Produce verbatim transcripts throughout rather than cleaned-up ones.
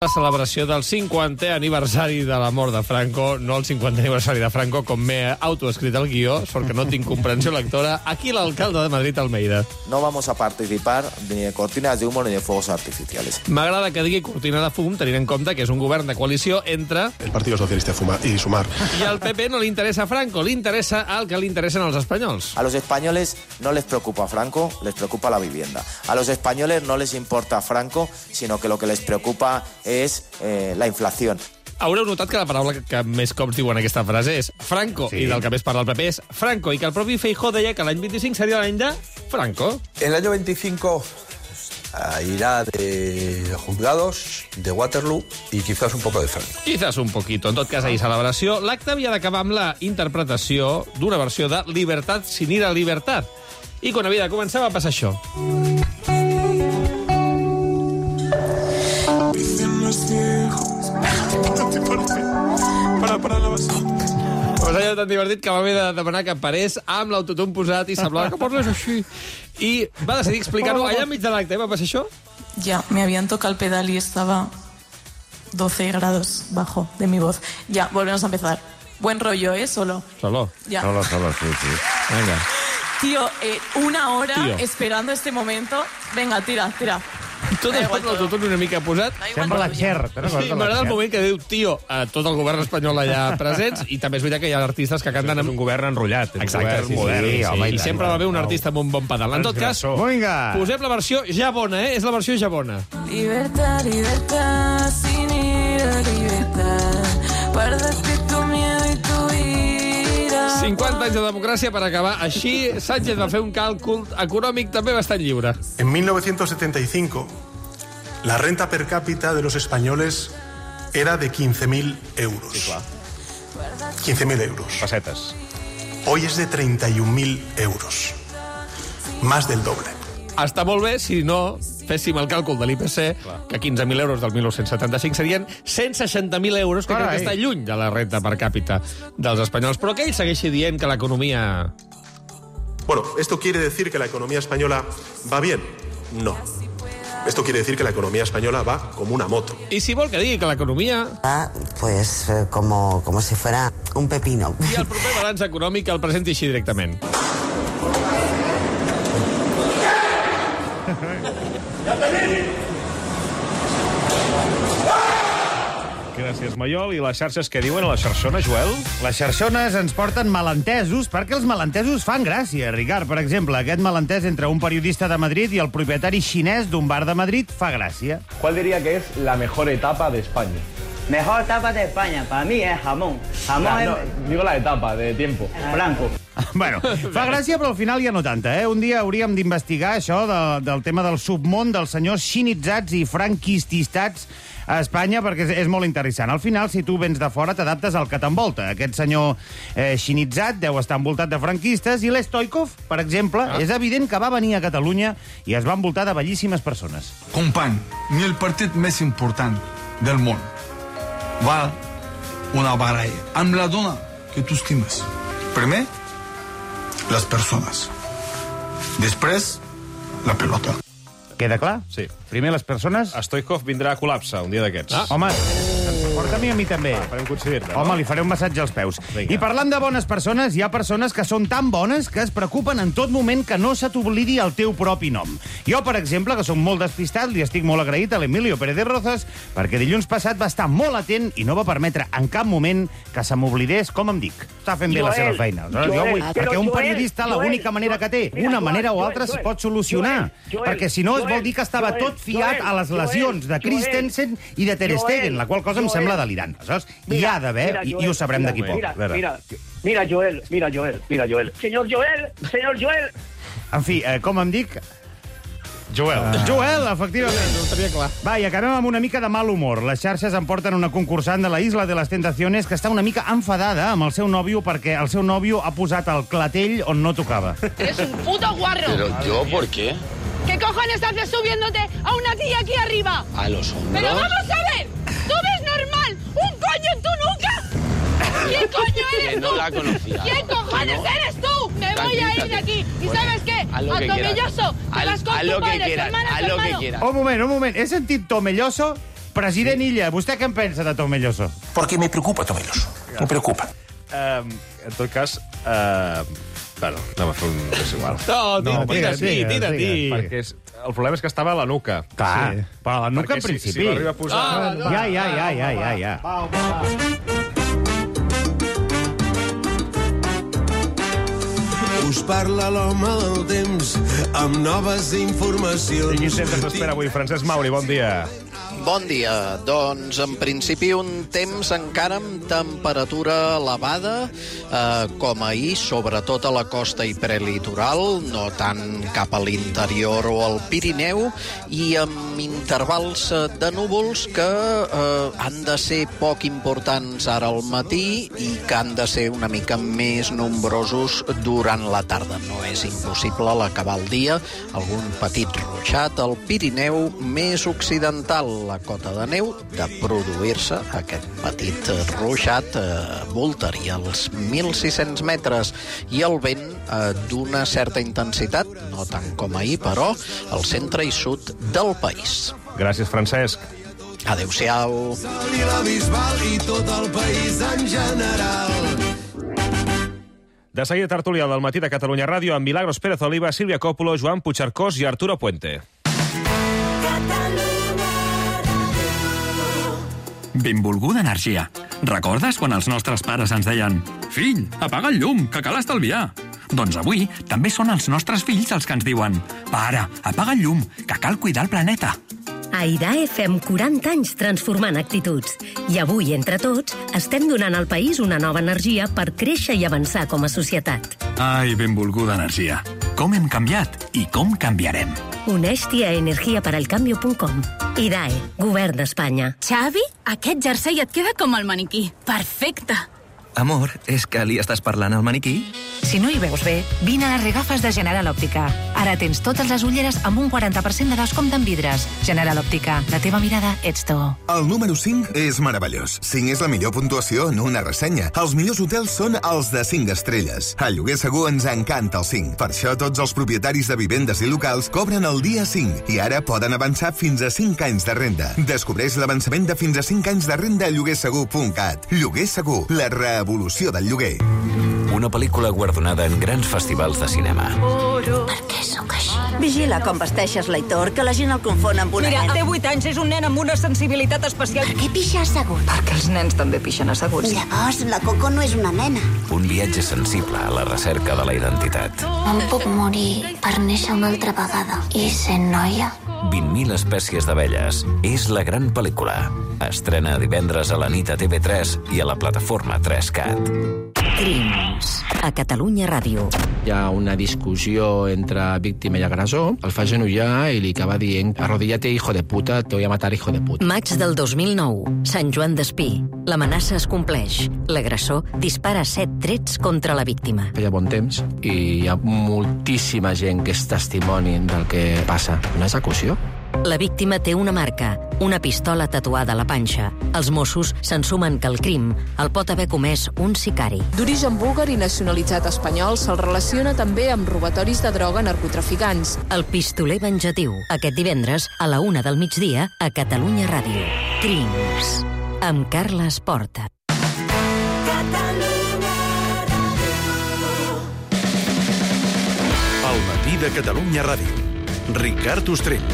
La celebració del cinquantè aniversari de la mort de Franco, no el cinquantè aniversari de Franco, com m'he autoescrit el guió, sort que no tinc comprensió lectora. Aquí l'alcalde de Madrid, Almeida. No vamos a participar ni de cortinas de humo ni de fuegos artificiales. M'agrada que digui cortina de fum, tenint en compte que és un govern de coalició entre... El Partido Socialista i Sumar. I al P P no li interessa Franco, li interessa el que li interessen als espanyols. A los españoles no les preocupa Franco, les preocupa la vivienda. A los españoles no les importa Franco, sino que lo que les preocupa és eh, la inflació. Haureu notat que la paraula que més cops diuen aquesta frase és Franco, sí. I del que més parla el P P és Franco, i que el propi Feijóo deia que l'any vint-i-cinc seria l'any de Franco. El año veinticinco uh, irá de juzgados, de Waterloo y quizás un poco de Franco. Quizás un poquito. En tot cas, ahir celebració. L'acte havia d'acabar amb la interpretació d'una versió de Libertad sin ir a libertad. I quan havia de començar va passar això. Para, para la base. Pues allò tan divertit que va haver de demanar que parés amb l'autotune posat i semblava que parles així. I va decidir explicar-ho allà enmig de l'acte. Va passar això? Ya, me habían tocado el pedal y estaba doce grados bajo de mi voz. Ya, volvemos a empezar. Buen rollo, ¿eh? Solo. Solo. Ya. Solo, solo, sí, sí. Venga. Tío, eh, una hora Tío. esperando este momento. Venga, tira, tira. Tot es pot l'autotune una mica posat. Sembla la Cher. Sí, m'agrada el moment que diu tio a tot el govern espanyol allà presents, i també és veritat que hi ha artistes que canten amb... És un govern enrotllat. És Exacte, un govern modern. sí, sí, home, i sempre va haver un artista amb un bon pedal. En tot cas, Vinga. posem la versió ja bona, eh? És la versió ja bona. Libertad, libertad, sin ir a libertad. Perderte tu miedo y tu ira. cinquanta anys de democràcia per acabar. Així, Sánchez va fer un càlcul econòmic també bastant lliure. En mil novecientos setenta y cinco, la renta per cápita de los españoles era de quince mil euros. Sí, clar. quince mil euros. Pessetes. Hoy es de treinta y un mil euros. Más del doble. Està molt bé si no féssim el càlcul de l'I P C, que quinze mil euros del dinou setanta-cinc serien cent seixanta mil euros, que crec que està lluny de la renta per càpita dels espanyols. Però que ell segueixi dient que l'economia... Bueno, ¿esto quiere decir que la economía española va bien? No. Esto quiere decir que la economía española va como una moto. I si vol que digui que l'economia... Ah, pues eh, como, como si fuera un pepino. I el proper balanç econòmic el presenti així directament. Gràcies, Maiol. I les xarxes què diuen a la xarxona, Joel? Les xarxones ens porten malentesos perquè els malentesos fan gràcia. Ricard, per exemple, aquest malentès entre un periodista de Madrid i el propietari xinès d'un bar de Madrid fa gràcia. ¿Cuál diría que es la mejor etapa de España? Mejor etapa de España, para mí es jamón. Jamón Ah, es no, digo la etapa, de tiempo. blanco. Bueno, fa gràcia, però al final ja no tanta, eh? Un dia hauríem d'investigar això de, del tema del submón dels senyors xinitzats i franquististats a Espanya, perquè és, és molt interessant. Al final, si tu vens de fora, t'adaptes al que t'envolta. Aquest senyor eh, xinitzat deu estar envoltat de franquistes, i l'Stoikov, per exemple, ah. és evident que va venir a Catalunya i es va envoltar de bellíssimes persones. Company, ni el partit més important del món va una baralla amb la dona que tu estimes. Primer, les persones. Després, la pelota. Queda clar? Sí. Primer les persones... Stoikov vindrà a col·lapse un dia d'aquests. Ah. Home, porta-m'hi a mi també. Ah, farem coincidir-te. Home, li faré un massatge als peus. Vinga. I parlant de bones persones, hi ha persones que són tan bones que es preocupen en tot moment que no se t'oblidi el teu propi nom. Jo, per exemple, que soc molt despistat, li estic molt agraït a l'Emilio Pérez de Rozas perquè dilluns passat va estar molt atent i no va permetre en cap moment que se m'oblidés com em dic. Està fent bé la seva feina. Joel, jo vull, però perquè un Joel, periodista Joel, l'única manera que té, mira, una manera o Joel, altra, Joel, es pot solucionar. Joel, perquè si no es Joel, vol dir que estava Joel, tot fiat Joel, a les lesions de Joel, Christensen i de Ter Joel, Stegen, la qual cosa em Joel. sembla delirant. Saps? Hi Mira, ha d'haver, mira, i, Joel, i ho sabrem mira, d'aquí poc. Mira, Vera. mira, mira, Joel, mira, Joel, mira, Joel. Señor Joel, señor Joel. En fi, eh, com em dic? Joel. Uh... Joel, efectivament. No ho tenia clar. Va, i acabem amb una mica de mal humor. Les xarxes em porten una concursant de la Isla de les Tentaciones que està una mica enfadada amb el seu nòvio perquè el seu nòvio ha posat el clatell on no tocava. Eres un puto guarro. Pero yo, ¿por qué? ¿Qué cojones haces subiéndote a una tía aquí arriba? A los hombros. Pero vamos a ver, ¿tú ves normal un coño en tu nuca? ¿Quién coño eres Que no tú? la conocía. ¿Quién cojones ¿No? eres tú? Me voy a ir de aquí. ¿Y Bueno, sabes qué? haz lo A que Tomelloso, quieras. te Haz- vas con haz tu lo que padre, tu quieras, hermana, haz tu lo que hermano. quieras. Un moment, un moment. He sentit Tomelloso President Illa, vostè què en pensa de Tomelloso? Porque me preocupa Tomelloso. Me preocupa. Uh, en tot cas... Uh, bueno, anem a fer un... És igual. No, no tira, tira, tira, tira. Perquè és, el problema és que estava a la nuca. Clar, sí. Però a la nuca Perquè en principi. Si, si l'arriba a posar... Ah, no. Ja, ja, ja, ja, ja, ja. Va, va. Us parla l'home del temps amb noves informacions. I quin temps ens espera avui, Francesc Mauri? Bon dia. Bon dia. Doncs, en principi, un temps encara amb temperatura elevada, eh, com ahir, sobretot a la costa i prelitoral, no tant cap a l'interior o al Pirineu, i amb intervals de núvols que eh, han de ser poc importants ara al matí i que han de ser una mica més nombrosos durant la tarda. No és impossible a l'acabar el dia. Algun petit ruixat al Pirineu més occidental. La cota de neu, de produir-se aquest petit ruixat, eh, voltaria els mil sis-cents metres, i el vent eh, d'una certa intensitat, no tant com ahir, però al centre i sud del país. Gràcies, Francesc. Adéu-siau. I la Bisbal i tot el país en general. De seguida, tertúlia del matí de Catalunya Ràdio amb Milagros Pérez Oliva, Sílvia Còpolo, Joan Puigcercós i Arturo Puente. Benvolguda energia. Recordes quan els nostres pares ens deien «Fill, apaga el llum, que cal estalviar»? Doncs avui també són els nostres fills els que ens diuen «Pare, apaga el llum, que cal cuidar el planeta». A IDAE fem quaranta anys transformant actituds. I avui, entre tots, estem donant al país una nova energia per créixer i avançar com a societat. Ai, benvolguda energia. Com hem canviat i com canviarem. Uneix-t'hi a energia per al cambio punt com. IDAE, Govern d'Espanya. Xavi, aquest jersei et queda com el maniquí. Perfecte. Amor, és que li estàs parlant al maniquí? Si no hi veus bé, vine a les regafes de General Òptica. Ara tens totes les ulleres amb un quaranta per cent de descompte en vidres. General Òptica, la teva mirada ets tu. El número cinc és meravellós. cinc és la millor puntuació en una ressenya. Els millors hotels són els de cinc estrelles. A Lloguer Segur ens encanta el cinc. Per això tots els propietaris de vivendes i locals cobren el dia cinc i ara poden avançar fins a cinc anys de renda. Descobreix l'avançament de fins a cinc anys de renda a lloguer segur punt cat. Lloguer Segur, la revolució del lloguer. Una pel·lícula guardonada en grans festivals de cinema. Per què sóc així? Vigila com vesteixes l'Aitor, que la gent el confon amb una Mira, nena. té vuit anys, és un nen amb una sensibilitat especial. Per què pixa assegut? Perquè els nens també pixen asseguts. Llavors, la Coco no és una nena. Un viatge sensible a la recerca de la identitat. Em puc morir per néixer una altra vegada i ser noia? vint mil espècies d'abelles. És la gran pel·lícula. Estrena divendres a la nit a T V tres i a la plataforma tres cat. Crims. A Catalunya Ràdio. Hi ha una discussió entre víctima i agressor. El fa genollar i li acaba dient arrodillate, hijo de puta, te voy a matar, hijo de puta. Maig del dos mil nou. Sant Joan d'Espí. L'amenaça es compleix. L'agressor dispara set trets contra la víctima. Feia bon temps i hi ha moltíssima gent que és testimoni del que passa. Una execució. La víctima té una marca, una pistola tatuada a la panxa. Els Mossos se'n sumen que el crim el pot haver comès un sicari. D'origen búlgar i nacionalitzat espanyol, se'l relaciona també amb robatoris de droga a narcotraficants. El pistoler venjatiu, aquest divendres a la una del migdia a Catalunya Ràdio. Crims. Amb Carles Porta. El matí de Catalunya Ràdio. Ricard Ostrell.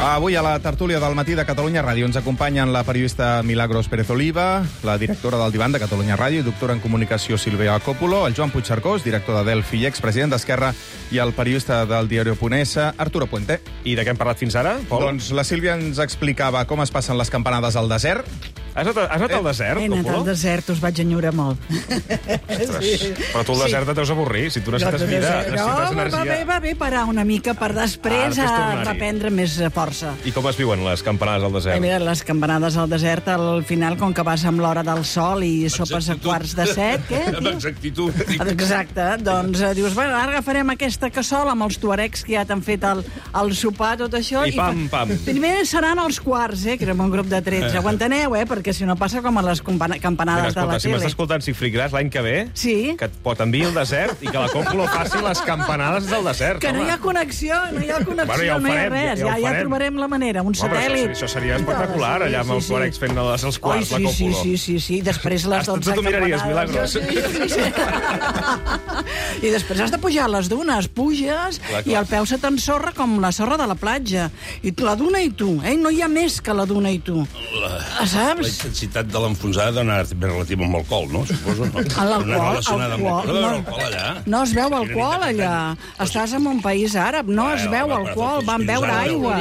Avui a la tertúlia del matí de Catalunya Ràdio ens acompanyen la periodista Milagros Pérez Oliva, la directora del Divan de Catalunya Ràdio i doctora en comunicació Sílvia Còpolo, el Joan Puigcercós, director de Delphi i expresident d'Esquerra, i el periodista del diari Punt essa, Arturo Puente. I de què hem parlat fins ara, Pol? Doncs la Sílvia ens explicava com es passen les campanades al desert. Has anat, has anat al desert, He anat Còpolo? al desert, us vaig enyorar molt. Sí. Però tu al desert et deus avorrir, si tu necessites vida, necessites no, energia. va bé, va bé parar una mica per després Ah, a tornar-hi. reprendre més força. I com es viuen les campanades al Eh, desert? mira, les campanades al desert, al final, com que vas amb l'hora del sol i sopes a quarts de set, què, Amb tio? exactitud. Exacte, doncs eh, dius, bueno, ara agafarem aquesta cassola amb els tuaregs que ja t'han fet el, el sopar, tot això. I pam, fa- pam. Primer seran els quarts, eh, que érem un grup de tretze. Ho enteneu, eh, perquè perquè si no passa com a les campana campanades Mira, escolta, de la si tele. m'estàs escoltant Sifrigras l'any que ve, sí? que et pot enviar al desert i que la Còpula faci les campanades del desert. Que no home. hi ha connexió, no hi ha connexió, Bueno, ja ho no hi ha farem, res. ja ho Ja, ja farem. trobarem la manera, un Home, satèl·lit. això, això seria espectacular, allà amb el Corex fent els, els quarts, Oi, la sí, Còpula. sí, sí, sí, després les Hasta dotze tu t'ho miraries, campanades. Milagros. Sí, sí, sí. I després has de pujar a les dunes, puges Clar, clar. i el peu se t'ensorra com la sorra de la platja. I tu, la duna i tu, eh? No hi ha més que la duna i tu. La, Saps? la intensitat de l'enfonsada dona ben relativa amb l'alcohol, no? Suposo, no? A l'alcohol, No és relacionada amb alcohol, l'alcohol. No, no. l'alcohol allà. No es veu alcohol allà. Estàs en un país àrab, no es veu alcohol. Van beure aigua.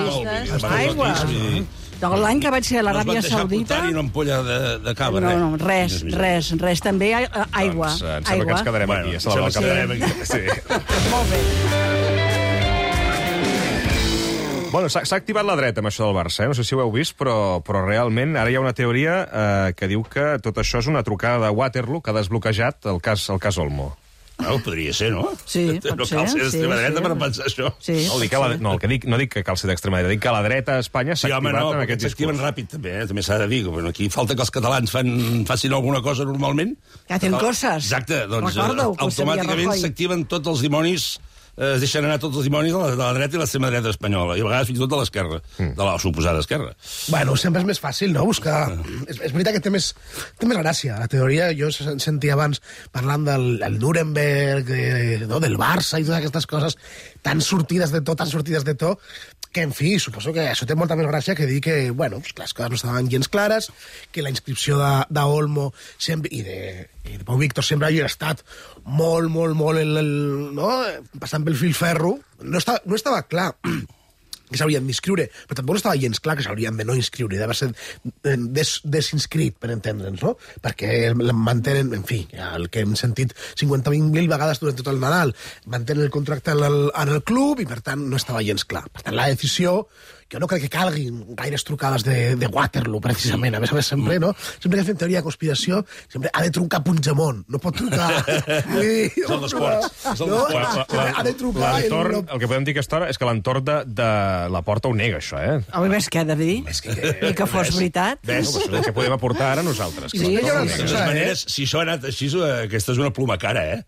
Aigua. L'any que vaig ser a l'Aràbia Saudita... I una ampolla de, de cava, no, res. no, res, res, res. També hi ha aigua. Doncs, em sembla que ens quedarem Bueno, aquí. em sembla que quedarem aquí. Sí. Molt bé. Bueno, s'ha s'ha activat la dreta amb això del Barça, eh? No sé si ho heu vist, però, però realment ara hi ha una teoria eh, que diu que tot això és una trucada de Waterloo que ha desbloquejat el cas, el cas Olmo. No, podria ser, no? Sí, pot no ser, cal ser sí, d'extrema dreta sí. per pensar això. Sí, No, dic que la, no, el que dic, no dic que cal ser d'extrema dreta, dic que la dreta a Espanya s'ha Sí, home, activat no, en perquè aquest s'activen discurs. ràpid, també, eh? També s'ha de dir. Bueno, aquí falta que els catalans fan, facin alguna cosa normalment. Que hacen coses. Exacte, doncs Recordo-ho, que ho sabia automàticament Rajoy. s'activen tots els dimonis, eh, es deixen anar tots els dimonis de la, de la dreta i l'extrema dreta espanyola, i a vegades fins i tot de l'esquerra, Mm. de la suposada esquerra. Bueno, sempre és més fàcil, no?, buscar... És, és veritat que té més, té més gràcia. La teoria, jo sen- sentia abans parlant del el Nuremberg, de, no, del Barça i totes aquestes coses tan sortides de to, tan sortides de to, que, en fi, suposo que això té molta més gràcia que dir que, bueno, pues, que les coses no estaven gens clares, que la inscripció de- d'Olmo sempre, i de, i de Pau Víctor sempre havia estat molt, molt, molt, el, el, no? passant pel fil ferro. No estava, no estava clar que s'haurien d'inscriure, però tampoc no estava gens clar que s'haurien de no inscriure, d'haver ser des, desinscrit, per entendre'ns, no? Perquè el mantenen, en fi, el que hem sentit cinquanta mil vegades durant tot el Nadal, mantenen el contracte en el, en el club i, per tant, no estava gens clar. Per tant, la decisió, jo no crec que calguin gaires trucades de, de Waterloo, precisament. A més a més, sempre, no? Sempre que fem teoria de conspiració, sempre ha de trucar Puigdemont, no pot trucar... És el d'esports. És el No, d'esports. ha de trucar... L'entorn, el que podem dir aquesta hora és que l'entorn de, de la Porta ho nega, això, eh? Home, ves què he de dir? I que fos veritat. Ves, això és el que podem aportar ara nosaltres. Sí, Que jo l'entorn no ho sé. De nega. totes maneres, si això ha anat així, eh, aquesta és una pluma cara, eh?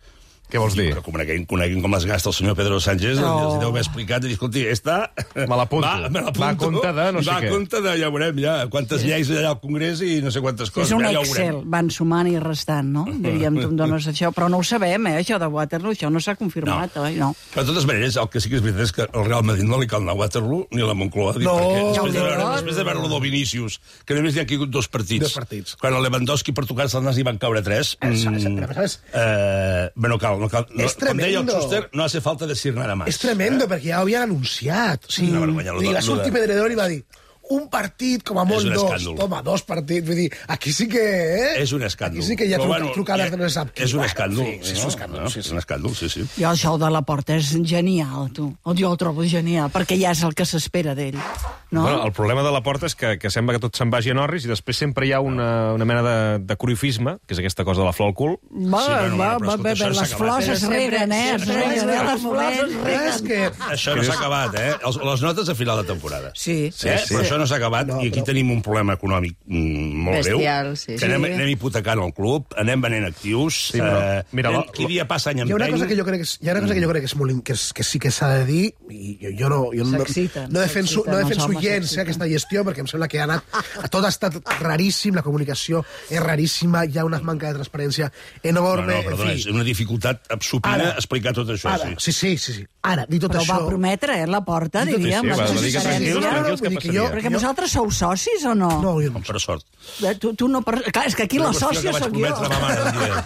Què vols dir? Però coneguin, coneguin com les gasta el senyor Pedro Sánchez, No. els hi deu haver explicat i dir, escolti, esta... Me l'apunto. Va, me l'apunto. Va a compte de no sé va què. a compte de, ja veurem, ja, quantes sí. lleis allà al Congrés i no sé quantes coses. És un ja ho Excel, veurem. van sumant i restant, no? Diríem, tu em dones això, però no ho sabem, eh, això de Waterloo, això no s'ha confirmat, no. oi? No. Però de totes maneres, el que sí que és veritat és que al Real Madrid no li cal anar a Waterloo ni a la Moncloa. Dic, No. perquè Ja ho després de veure, diuen. després de veure lo Vinícius, que només hi ha caigut dos partits. Dos partits. Quan el Lewandowski per tocar-se el nas hi van caure tres. Eh, mm, però, ¿sabes? eh, bé, no cal. No cal no, És com deia el tremendo. Schuster, no hace falta decir nada más. És tremendo, perquè ja ho havien anunciat. O sigui, Una vergonya, lo vull dir, de- va lo sortir de- Pedredor i va dir un partit, com a molt És un dos. escàndol. Toma, dos partits. Vull dir, aquí sí que... Eh? És un escàndol. Aquí sí que hi ha Però, truc bueno, trucades ja- de no se sap qui. És un Bueno, escàndol. Sí, sí, és un escàndol. No? Sí, És sí. un escàndol, sí, sí. Jo això de la Porta és genial, tu. Jo ho trobo genial, perquè ja és el que s'espera d'ell. No? Bueno, el problema de la Porta és que, que sembla que tot se'n vagi a Norris i després sempre hi ha una, una mena de, de corifisme, que és aquesta cosa de la flor al cul. Va, Sí, bueno, va, però va, escolta, va, això va, s'ha les acabat. flors es Sempre- reguen, eh? Es sempre- reguen, sempre- eh? Les flors es reguen. És que... Això no s'ha acabat, eh? Els, les notes a final de temporada. Sí. Sí, eh? Però això no s'ha acabat No, i aquí però- tenim un problema econòmic mm, molt Bestial, greu. sí. Que anem, Sí. anem hipotecant el club, anem venent actius. Sí, però, eh, mira, anem, la- qui dia passa any Hi ha una empeny. cosa que jo crec que, és, hi ha una cosa que jo crec que, és molt, in- que, és, que sí que s'ha de dir, i jo, jo no, jo no, S'exciten, no defenso, s'exciten, no els defenso homes gens s'exciten. eh, aquesta gestió, perquè em sembla que ha anat, tot ha estat raríssim, la comunicació és raríssima, hi ha una manca de transparència No, enorme, no, perdona, en és fi. una dificultat supina Ara. explicar tot això. Ara, sí. sí, sí, sí, sí. Ara, dit tot Però això... va prometre, eh, la Porta, Dit tot- diríem. Sí, sí, la va, va dir que transparència. tranquils, tranquils, vull que dir que jo- passaria. Perquè vosaltres sou socis o no? No, jo no. Com per sort. Eh, Tu, tu no... Per... Clar, és que aquí Una la qüestió sòcia que vaig sóc prometre a ma jo. mare un dia.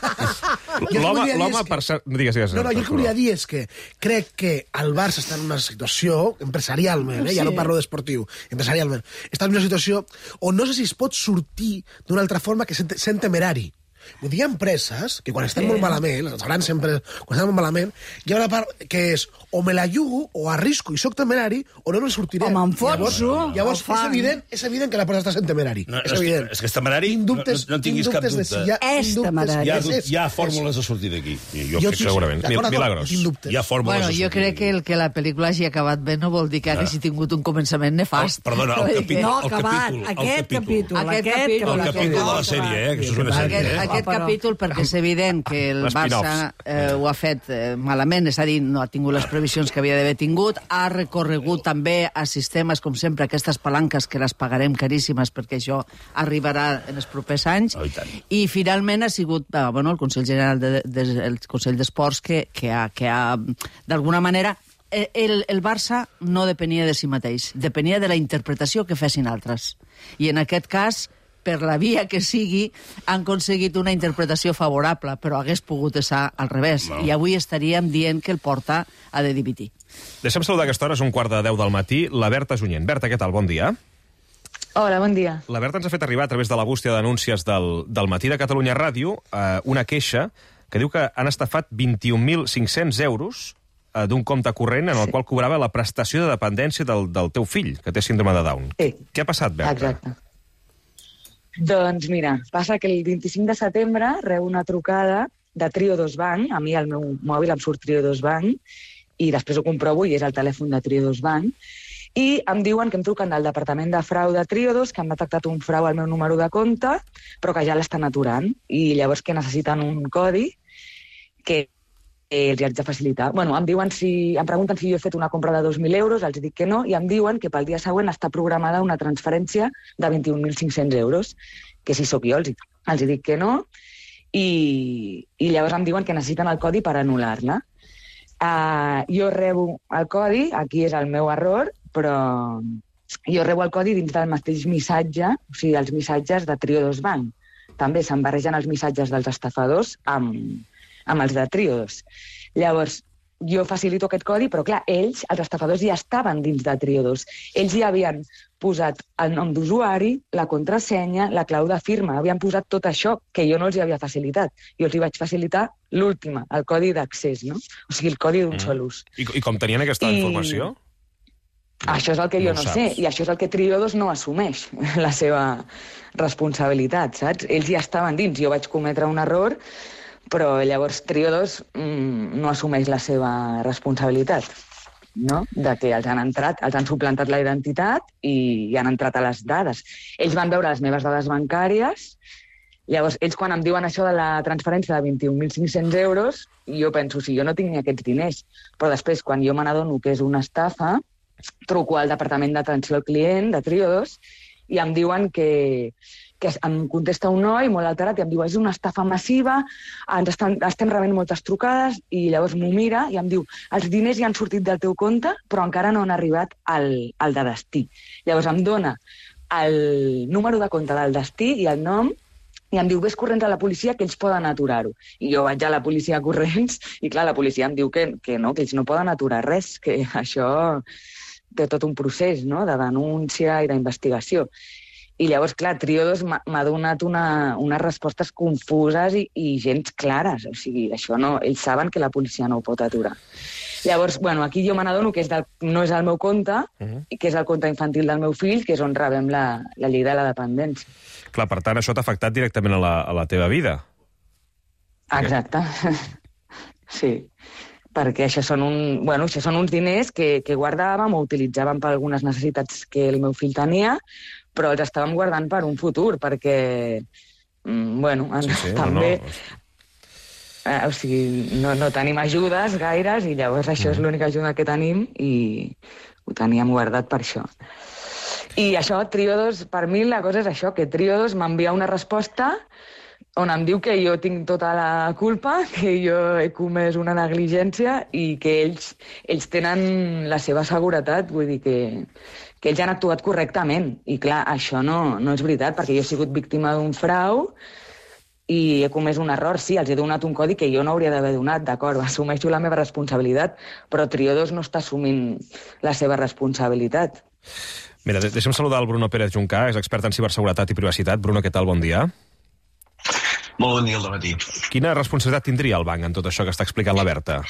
Jo el que L'home, volia dir l'home és que- per cert... Digues, digues. No, no, jo el que volia dir és que crec que el Barça està en una situació, empresarialment, eh? ja no Sí. parlo d'esportiu, empresarialment, està en una situació on no sé si es pot sortir d'una altra forma que sent, sent temerari. Vull dir, hi ha empreses que quan estan molt malament, les grans empreses, quan estan molt malament, hi ha una part que és o me la jugo, o arrisco i soc temerari, o no me'n sortiré. O m'enfonso. Llavors, llavors és, evident, és evident que la persona està sent temerari. No, és evident. És que és temerari, dubtes, no, no tinguis cap dubte. Si hi ha, és temerari. Hi ha, hi ha fórmules de sortir d'aquí. Jo, jo segurament. Milagros. Hi ha fórmules bueno, de sortir jo crec que el que la pel·lícula hagi acabat bé no vol dir que haguessi tingut un començament nefast. Oh, perdona, el capítol. No, el acabat. capítol, Aquest capítol. Aquest capítol. El capítol de la sèrie, eh? Que això és una sèrie, Aquest, eh? aquest capítol, perquè és evident que el Barça eh, ho ha fet eh, malament, és a dir, no ha tingut les previsions que havia d'haver tingut, ha recorregut també a sistemes, com sempre, aquestes palanques que les pagarem caríssimes perquè això arribarà en els propers anys, oh, i, i finalment ha sigut eh, bueno, el Consell General de, de, el Consell d'Esports que, que ha, que ha d'alguna manera, el, el Barça no depenia de si mateix, depenia de la interpretació que fessin altres. I en aquest cas, per la via que sigui, han aconseguit una interpretació favorable, però hagués pogut estar al revés. No. I avui estaríem dient que el Porta ha de dimitir. Deixa'm saludar a aquesta hora, és un quart de deu del matí, la Berta Junyent. Berta, què tal? Bon dia. Hola, bon dia. La Berta ens ha fet arribar a través de la bústia d'anúncies del, del matí de Catalunya Ràdio eh, una queixa que diu que han estafat vint-i-un mil cinc-cents euros eh, d'un compte corrent en el sí. qual cobrava la prestació de dependència del, del teu fill, que té síndrome de Down. Sí. Què ha passat, Berta? Exacte. Doncs mira, passa que el vint-i-cinc de setembre reu una trucada de Triodos Bank, a mi al meu mòbil em surt Triodos Bank, i després ho comprovo i és el telèfon de Triodos Bank, i em diuen que em truquen del departament de frau de Triodos, que han detectat un frau al meu número de compte, però que ja l'estan aturant, i llavors que necessiten un codi que eh, els haig de facilitar. Bueno, em diuen si, em pregunten si jo he fet una compra de dos mil euros, els dic que no, i em diuen que pel dia següent està programada una transferència de vint-i-un mil cinc-cents euros, que si sóc jo els, els dic que no, i, i llavors em diuen que necessiten el codi per anul·lar-la. Uh, jo rebo el codi, aquí és el meu error, però jo rebo el codi dins del mateix missatge, o sigui, els missatges de Triodos Bank. També se'n barregen els missatges dels estafadors amb, amb els de Triodos. Llavors, jo facilito aquest codi, però clar, ells, els estafadors, ja estaven dins de Triodos. Ells ja havien posat el nom d'usuari, la contrasenya, la clau de firma, havien posat tot això que jo no els hi havia facilitat. Jo els hi vaig facilitar l'última, el codi d'accés, no? O sigui, el codi d'un mm. sol ús. I, I com tenien aquesta I... informació? Això és el que jo no, no sé, i això és el que Triodos no assumeix, la seva responsabilitat, saps? Ells ja estaven dins, jo vaig cometre un error, però llavors Triodos mmm, no assumeix la seva responsabilitat, no? De que els han entrat, els han suplantat la identitat i, i han entrat a les dades. Ells van veure les meves dades bancàries, llavors ells quan em diuen això de la transferència de vint-i-un mil cinc-cents euros, jo penso, si jo no tinc ni aquests diners, però després quan jo me n'adono que és una estafa, truco al departament d'atenció al client de Triodos i em diuen que, que em contesta un noi molt alterat i em diu és una estafa massiva, ens estan, estem rebent moltes trucades i llavors m'ho mira i em diu els diners ja han sortit del teu compte però encara no han arribat al, al de destí. Llavors em dona el número de compte del destí i el nom i em diu, ves corrents a la policia que ells poden aturar-ho. I jo vaig a la policia corrents i clar, la policia em diu que, que no, que ells no poden aturar res, que això té tot un procés, no?, de denúncia i d'investigació. I llavors, clar, Triodos m'ha donat una, unes respostes confuses i, i gens clares. O sigui, això no, ells saben que la policia no ho pot aturar. Llavors, bueno, aquí jo me n'adono que és del, no és el meu compte, uh-huh. i que és el compte infantil del meu fill, que és on rebem la, la llei de la dependència. Clar, per tant, això t'ha afectat directament a la, a la teva vida. Exacte. Sí. Perquè això són, un, bueno, això són uns diners que, que guardàvem o utilitzàvem per algunes necessitats que el meu fill tenia, però els estàvem guardant per un futur, perquè, bueno, sí, sí, també... No, no. Eh, o sigui, no, no tenim ajudes gaires i llavors això mm. és l'única ajuda que tenim i ho teníem guardat per això. I això, Triodos, per mi la cosa és això, que Triodos m'envia una resposta on em diu que jo tinc tota la culpa, que jo he comès una negligència i que ells, ells tenen la seva seguretat, vull dir que, que ells han actuat correctament. I clar, això no, no és veritat, perquè jo he sigut víctima d'un frau i he comès un error. Sí, els he donat un codi que jo no hauria d'haver donat, d'acord, assumeixo la meva responsabilitat, però Triodos no està assumint la seva responsabilitat. Mira, deixa'm saludar el Bruno Pérez Juncà, és expert en ciberseguretat i privacitat. Bruno, què tal? Bon dia. Molt bon dia al dematí. Quina responsabilitat tindria el banc en tot això que està explicant la Berta?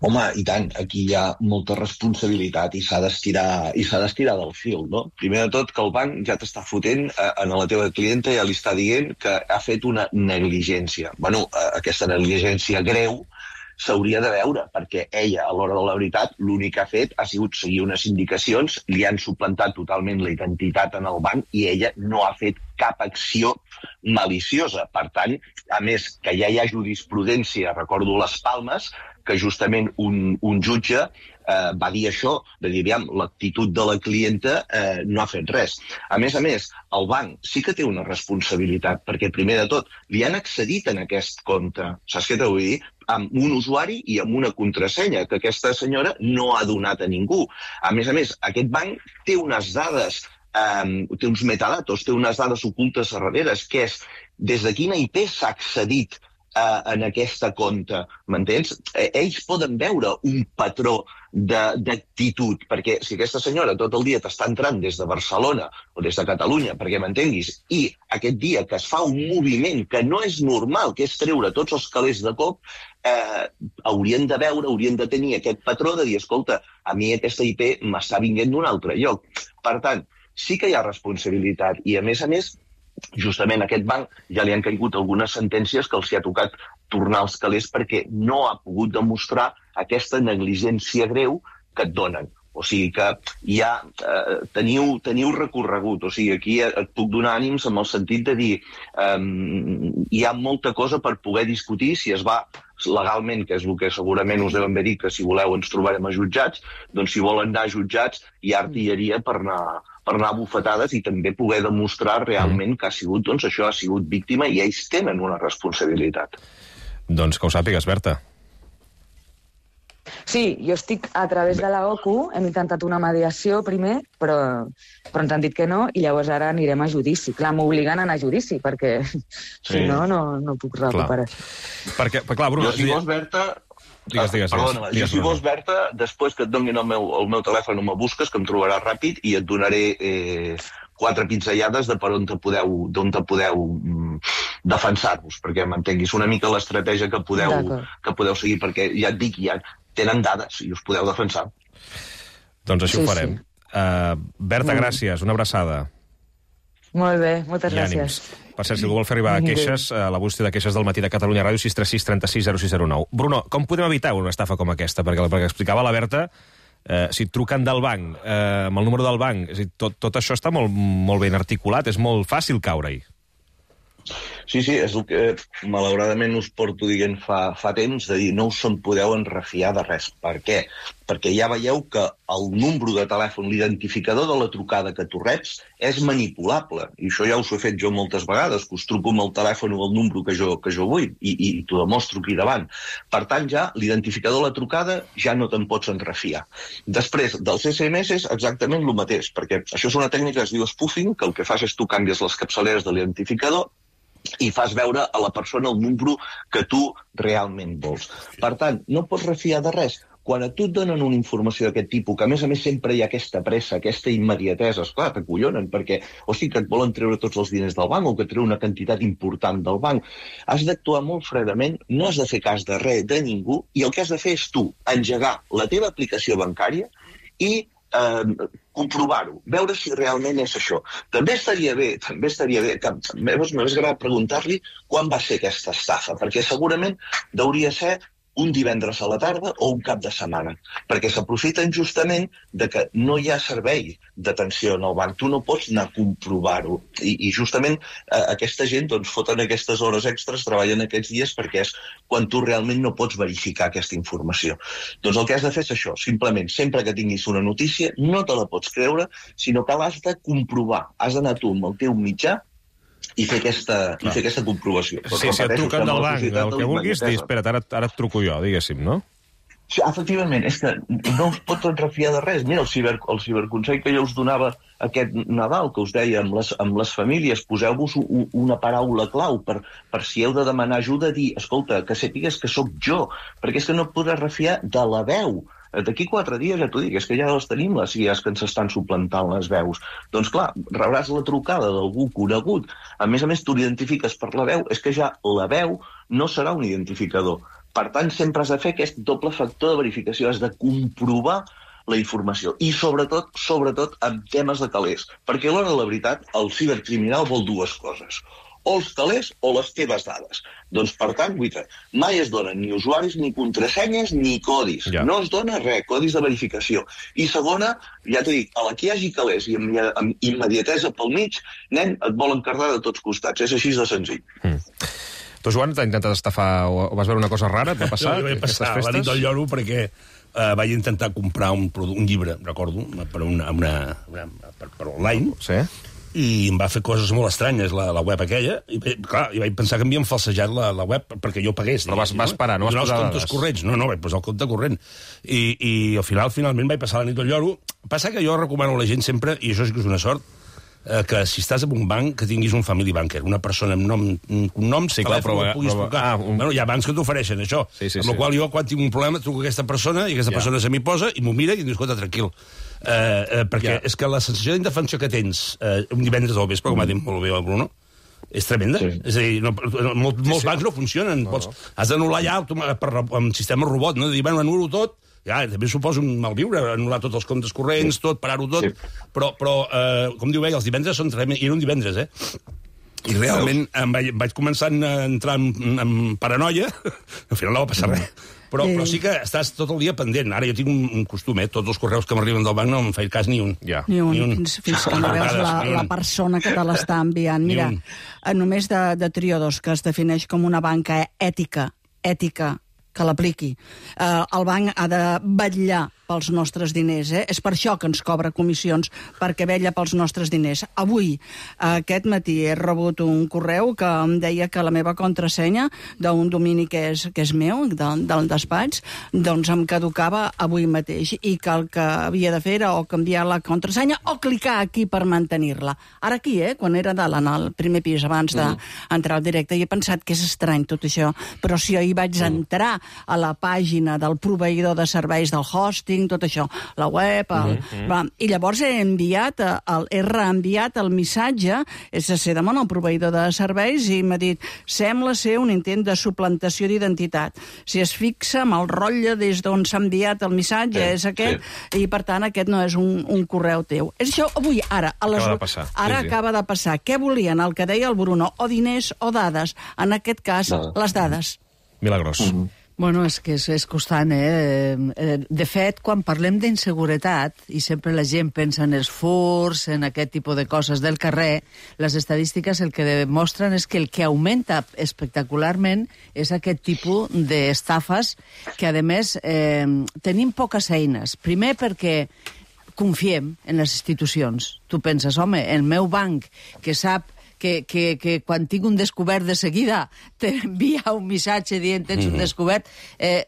Home, i tant, aquí hi ha molta responsabilitat i s'ha d'estirar i s'ha d'estirar del fil, no? Primer de tot, que el banc ja t'està fotent eh, a la teva clienta, ja li està dient que ha fet una negligència. Bueno, eh, aquesta negligència greu s'hauria de veure, perquè ella, a l'hora de la veritat, l'únic que ha fet ha sigut seguir unes indicacions, li han suplantat totalment la identitat en el banc i ella no ha fet cap acció maliciosa. Per tant, a més, que ja hi ha jurisprudència, recordo les Palmes, que justament un, un jutge eh, va dir això, de dir, aviam, l'actitud de la clienta eh, no ha fet res. A més a més, el banc sí que té una responsabilitat, perquè primer de tot li han accedit en aquest compte, saps què t'ho vull dir? Amb un usuari i amb una contrasenya, que aquesta senyora no ha donat a ningú. A més a més, aquest banc té unes dades, eh, té uns metadatos, té unes dades ocultes a darrere, que és des de quina I P s'ha accedit Uh, en aquesta compte, m'entens? Eh, ells poden veure un patró d'actitud, perquè si aquesta senyora tot el dia t'està entrant des de Barcelona o des de Catalunya, perquè m'entenguis, i aquest dia que es fa un moviment que no és normal, que és treure tots els calés de cop, eh, haurien de veure, haurien de tenir aquest patró de dir, escolta, a mi aquesta I P m'està vinguent d'un altre lloc. Per tant, sí que hi ha responsabilitat, i a més a més, justament a aquest banc ja li han caigut algunes sentències que els hi ha tocat tornar els calés perquè no ha pogut demostrar aquesta negligència greu que et donen. O sigui que ja eh, teniu, teniu recorregut. O sigui, aquí et puc donar ànims en el sentit de dir eh, hi ha molta cosa per poder discutir si es va legalment, que és el que segurament us deuen haver dit, que si voleu ens trobarem a jutjats, doncs si volen anar a jutjats hi ha artilleria per anar, per anar a bufetades i també poder demostrar realment que ha sigut, doncs això ha sigut víctima i ells tenen una responsabilitat. Doncs que ho sàpigues, Berta. Sí, jo estic a través de la O C U, hem intentat una mediació primer, però, però ens han dit que no, i llavors ara anirem a judici. Clar, m'obliguen a anar a judici, perquè sí. si no, no, no puc recuperar. Clar. Perquè, clar, Bruno... Jo, si vols, Berta... Digues, digues, Perdona, digues, jo, si vols, Berta, després que et donin el meu, el meu telèfon, me busques, que em trobaràs ràpid, i et donaré eh, quatre pinzellades de per on te podeu, d'on te podeu mm, defensar-vos, perquè m'entenguis una mica l'estratègia que podeu, que podeu seguir, perquè ja et dic, ja tenen dades i us podeu defensar. Doncs així sí, ho farem. Sí. Uh, Berta, mm. gràcies, una abraçada. Molt bé, moltes gràcies. Per cert, si algú vol fer arribar queixes, a la bústia de queixes del matí de Catalunya Ràdio, sis tres sis trenta sis zero sis zero nou. Bruno, com podem evitar una estafa com aquesta? Perquè, perquè explicava la Berta, eh, si truquen del banc, eh, amb el número del banc, és a dir, tot, tot això està molt, molt ben articulat, és molt fàcil caure-hi. Sí, sí, és el que malauradament us porto dient fa, fa temps, de dir no us en podeu enrefiar de res. Per què? Perquè ja veieu que el número de telèfon, l'identificador de la trucada que tu reps, és manipulable. I això ja us ho he fet jo moltes vegades, que us truco amb el telèfon o el número que jo, que jo vull, i, i t'ho demostro aquí davant. Per tant, ja l'identificador de la trucada ja no te'n pots enrefiar. Després, dels S M S és exactament el mateix, perquè això és una tècnica que es diu spoofing, que el que fas és tu canvies les capçaleres de l'identificador i fas veure a la persona el número que tu realment vols. Per tant, no pots refiar de res. Quan a tu et donen una informació d'aquest tipus, que a més a més sempre hi ha aquesta pressa, aquesta immediatesa, esclar, t'acollonen, perquè o sigui que et volen treure tots els diners del banc o que treu una quantitat important del banc, has d'actuar molt fredament, no has de fer cas de res, de ningú, i el que has de fer és tu engegar la teva aplicació bancària i eh, comprovar-ho, veure si realment és això. També estaria bé, també estaria bé, que m'hagués agradat preguntar-li quan va ser aquesta estafa, perquè segurament hauria ser un divendres a la tarda o un cap de setmana, perquè s'aprofiten justament de que no hi ha servei d'atenció en el banc. Tu no pots anar a comprovar-ho. I, i justament eh, aquesta gent doncs, foten aquestes hores extres, treballen aquests dies, perquè és quan tu realment no pots verificar aquesta informació. Doncs el que has de fer és això, simplement, sempre que tinguis una notícia, no te la pots creure, sinó que l'has de comprovar. Has d'anar tu amb el teu mitjà i fer aquesta, i fer aquesta comprovació. Sí, si et truquen del banc, el que vulguis, dir, espera't, ara, ara et truco jo, diguéssim, no? Sí, efectivament, és que no us pots refiar de res. Mira, el, ciber, el ciberconsell que jo us donava aquest Nadal, que us deia amb les, amb les famílies, poseu-vos un, una paraula clau per, per si heu de demanar ajuda, dir, escolta, que sàpigues que sóc jo, perquè és que no et podràs refiar de la veu d'aquí quatre dies, ja t'ho dic, és que ja les tenim, les I As que ens estan suplantant les veus. Doncs clar, rebràs la trucada d'algú conegut, a més a més tu l'identifiques per la veu, és que ja la veu no serà un identificador. Per tant, sempre has de fer aquest doble factor de verificació, has de comprovar la informació. I sobretot, sobretot, amb temes de calés. Perquè a l'hora de la veritat, el cibercriminal vol dues coses. O els calés o les teves dades. Doncs, per tant, guita, mai es donen ni usuaris, ni contrasenyes, ni codis. Ja. No es dona res, codis de verificació. I segona, ja t'he dit, a la que hi hagi calés i amb, amb immediatesa pel mig, nen, et volen cardar de tots costats. És així de senzill. Mm. Tu, Joan, t'has intentat estafar o vas veure una cosa rara? Et va passar? Jo vaig passar la nit del lloro perquè uh, vaig intentar comprar un, un llibre, recordo, per, una, una, una, per, per online, sí. I em va fer coses molt estranyes la, la web aquella, i clar, i vaig pensar que m'havien falsejat la, la web perquè jo pagués. Però vas, vas parar, no vas posar els comptes corrents. No, no, vaig posar el compte corrent. I, i al final, finalment, vaig passar la nit del lloro. Passa que jo recomano a la gent sempre, i això sí que és una sort, eh, que si estàs en un banc, que tinguis un family banker, una persona amb nom, un nom, sí, telèfon, clar, puguis prova... trucar. Ah, un... bueno, hi ha bancs que t'ofereixen això. Sí, sí, amb la sí. qual jo, quan tinc un problema, truco a aquesta persona, i aquesta ja. persona se m'hi posa, i m'ho mira, i dius, escolta, tranquil. Eh, eh, perquè ja. és que la sensació d'indefensió que tens eh, un divendres al vespre, com ha dit molt bé el Bruno, és tremenda. Sí. És a dir, no, molt, molts sí, sí. bancs no funcionen. No, Pots, no. Has d'anul·lar ja per, amb sistema robot, no? De dir, bueno, anulo tot, ja, també suposa un malviure, anul·lar tots els comptes corrents, sí. tot, parar-ho tot, sí. però, però eh, com diu ell, els divendres són tremends, i era un divendres, eh? I realment em vaig, vaig començar a entrar en, en paranoia, al final no va passar res. Però, però sí que estàs tot el dia pendent. Ara jo tinc un, un costum, eh? Tots els correus que m'arriben del banc no em faig cas ni un. Ja. Ni un, ni un. fins, fins que no veus la, la persona que te l'està enviant. Mira, només de, de Triodos, que es defineix com una banca ètica, ètica, que l'apliqui. Eh, el banc ha de vetllar pels nostres diners, eh? És per això que ens cobra comissions, perquè vetlla pels nostres diners. Avui, aquest matí, he rebut un correu que em deia que la meva contrasenya d'un domini que és, que és meu, del, del despatx, doncs em caducava avui mateix, i que el que havia de fer era o canviar la contrasenya o clicar aquí per mantenir-la. Ara aquí, eh? Quan era dalt, en el primer pis, abans d'entrar al directe, i he pensat que és estrany tot això, però si jo hi vaig entrar a la pàgina del proveïdor de serveis del hosting, tot això, la web, el, mm-hmm. va, i llavors he enviat, el, he reenviat el missatge, és a ser demà el proveïdor de serveis, i m'ha dit, sembla ser un intent de suplantació d'identitat. Si es fixa amb el rotlle des d'on s'ha enviat el missatge, sí, és aquest, sí. i per tant aquest no és un, un correu teu. És això, avui, ara, a les, acaba de passar. Ara sí, sí. acaba de passar. Què volien? El que deia el Bruno, o diners o dades. En aquest cas, no. les dades. Milagros. Mm-hmm. Bueno, és que és, és constant, eh? De fet, quan parlem d'inseguretat, i sempre la gent pensa en els furs, en aquest tipus de coses del carrer, les estadístiques el que demostren és que el que augmenta espectacularment és aquest tipus d'estafes que, a més, eh, tenim poques eines. Primer perquè confiem en les institucions. Tu penses, home, el meu banc, que sap Que, que, que quan tinc un descobert de seguida t'envia un missatge dient tens un descobert, eh,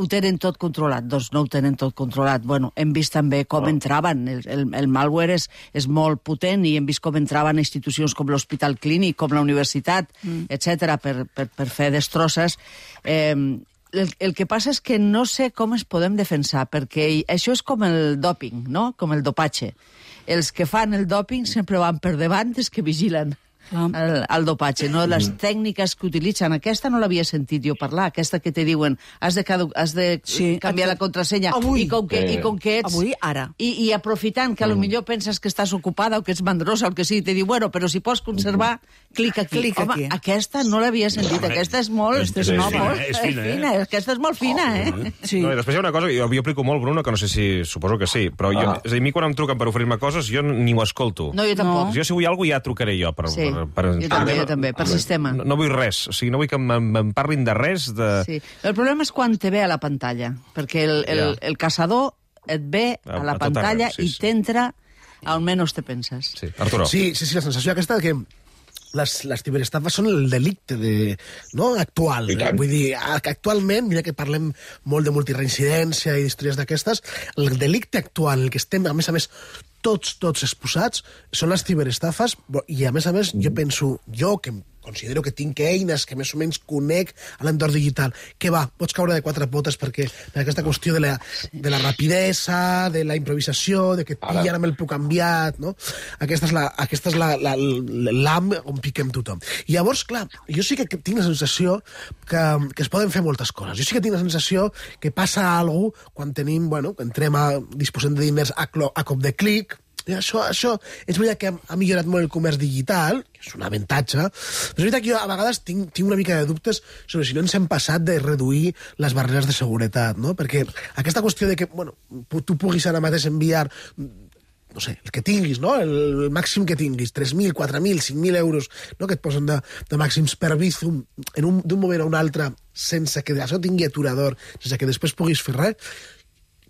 ho tenen tot controlat. Doncs no ho tenen tot controlat. Bueno, hem vist també com entraven. El, el, el malware és, és molt potent, i hem vist com entraven institucions com l'Hospital Clínic, com la universitat, mm. etcètera, per, per, per fer destrosses. Eh, el, el que passa és que no sé com es podem defensar, perquè això és com el doping, no? Com el dopatge. Els que fan el doping sempre van per davant dels que vigilen el, el dopatge, no? Les tècniques que utilitzen, aquesta no l'havia sentit jo parlar, aquesta que te diuen has de, has de sí, canviar la contrasenya, avui, i com que, eh. i com que ets... Avui, ara. I, i aprofitant que a lo millor penses que estàs ocupada o que ets mandrosa o el que sigui, te diu, bueno, però si pots conservar, clic aquí. Clic Home, aquí. Aquesta no l'havia sentit, aquesta és molt... Aquesta és, no, fina, molt és fina, eh? fina, aquesta és molt fina, eh? Sí. No, i després hi ha una cosa, jo, jo aplico molt, Bruno, que no sé si... Suposo que sí, però jo, ah. és a dir, a mi quan em truquen per oferir-me coses, jo ni ho escolto. No, jo tampoc. Jo si vull alguna cosa ja trucaré jo. Per, sí, per, per, jo també, jo també, per sistema. No, no vull res, o sigui, no vull que em parlin de res. De... Sí. El problema és quan te ve a la pantalla, perquè el, el, ja. el caçador et ve a la a pantalla arreu, sí, i sí. t'entra on menys te penses. Sí, Arturo. Sí, sí, sí, la sensació aquesta que les, les ciberestafes són el delicte de, no? actual. Eh? Vull dir, actualment, mira que parlem molt de multireincidència i d'històries d'aquestes, el delicte actual, el que estem, a més a més, tots, tots exposats, són les ciberestafes, i a més a més, jo penso, jo que considero que tinc eines que més o menys conec a l'entorn digital. Què va? Pots caure de quatre potes perquè per aquesta qüestió de la, de la rapidesa, de la improvisació, de que et pillen amb el puc canviat, no? Aquesta és la, aquesta és la, la, l'am on piquem tothom. I llavors, clar, jo sí que tinc la sensació que, que es poden fer moltes coses. Jo sí que tinc la sensació que passa alguna cosa quan tenim, bueno, que entrem a disposem de diners a, clo, a cop de clic. I això, això és veritat que ha millorat molt el comerç digital, que és un avantatge, però és veritat que jo a vegades tinc, tinc una mica de dubtes sobre si no ens hem passat de reduir les barreres de seguretat, no? Perquè aquesta qüestió de que, bueno, tu puguis ara mateix enviar, no sé, el que tinguis, no? El màxim que tinguis, tres mil, quatre mil, cinc mil euros, no? Que et posen de, de màxims per Bizum d'un moment a un altre, sense que això tingui aturador, sense que després puguis fer res,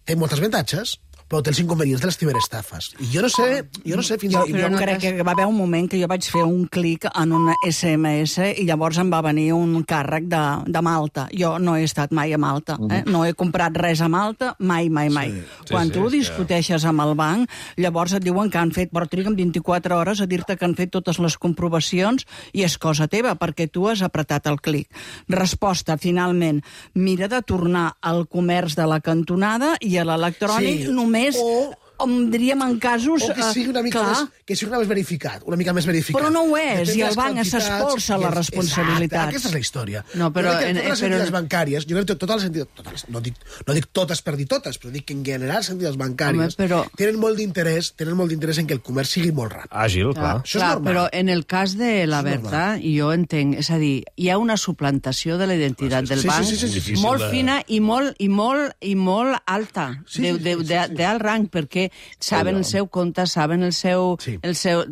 té molts avantatges, però té els inconvenients de les ciberestafes. I jo no sé, jo no sé fins jo, a... Jo no crec que va haver un moment que jo vaig fer un clic en un esse eme esse i llavors em va venir un càrrec de, de Malta. Jo no he estat mai a Malta, eh? No he comprat res a Malta, mai, mai, mai. Sí, sí, Quan tu sí, discuteixes amb el banc, llavors et diuen que han fet, però triguen vint-i-quatre hores a dir-te que han fet totes les comprovacions i és cosa teva, perquè tu has apretat el clic. Resposta, finalment, mira de tornar al comerç de la cantonada i a l'electrònic sí. només o, com diríem en casos... O que sigui una mica, més, que sigui una, més verificat, una mica més verificat. Però no ho és, i el banc s'espolsa la responsabilitat. Exacte, aquesta és la història. No, però... Jo crec que en, totes les però... entitats bancàries, jo crec que totes les entitats, totes, no, dic, no dic totes per dir totes, però dic que en general les entitats bancàries Home, però... tenen molt d'interès tenen molt d'interès en que el comerç sigui molt ràpid. Àgil, clar. clar. Això és clar, normal. Però en el cas de la Berta, jo entenc, és a dir, hi ha una suplantació de la identitat del sí, banc sí, sí, sí, sí, molt sí, fina i molt, i molt, i molt alta, sí, sí, sí, sí, sí. d'alt rang, perquè saben el seu compte, saben el seu... Sí. El seu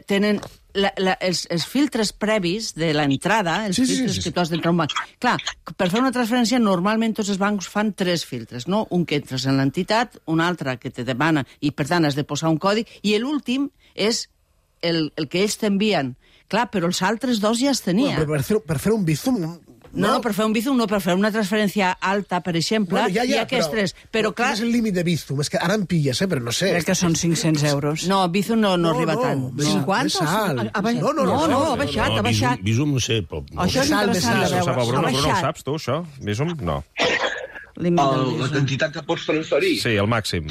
tenen la, la, els, els filtres previs de l'entrada, els sí, sí, filtres sí, sí. que tu has d'entrar a un banc. Clar, per fer una transferència, normalment tots els bancs fan tres filtres, no? Un que entres en l'entitat, un altre que te demana, i per tant has de posar un codi, i l'últim és el, el que ells t'envien. Clar, però els altres dos ja es tenien. Bueno, per, fer, per fer un Bizum... No, no, per fer un Bizum, no, per fer una transferència alta, per exemple, bueno, ja, ja, hi ha aquests però, tres. Però, clar... Quin és el límit de Bizum? És que ara em pilles, eh? Però no sé. Crec que són cinc-cents euros. No, Bizum no, no, no arriba no, tant. Més, cinquanta? Més alt. Ha, ha, no, no, no, no, no, no, ha baixat, no, ha baixat. Bizum, no sé, però... Això és interessant de veure. Bruno, Bruno, ho saps tu, això? Bizum? No. El, la quantitat que pots transferir? Sí, el màxim.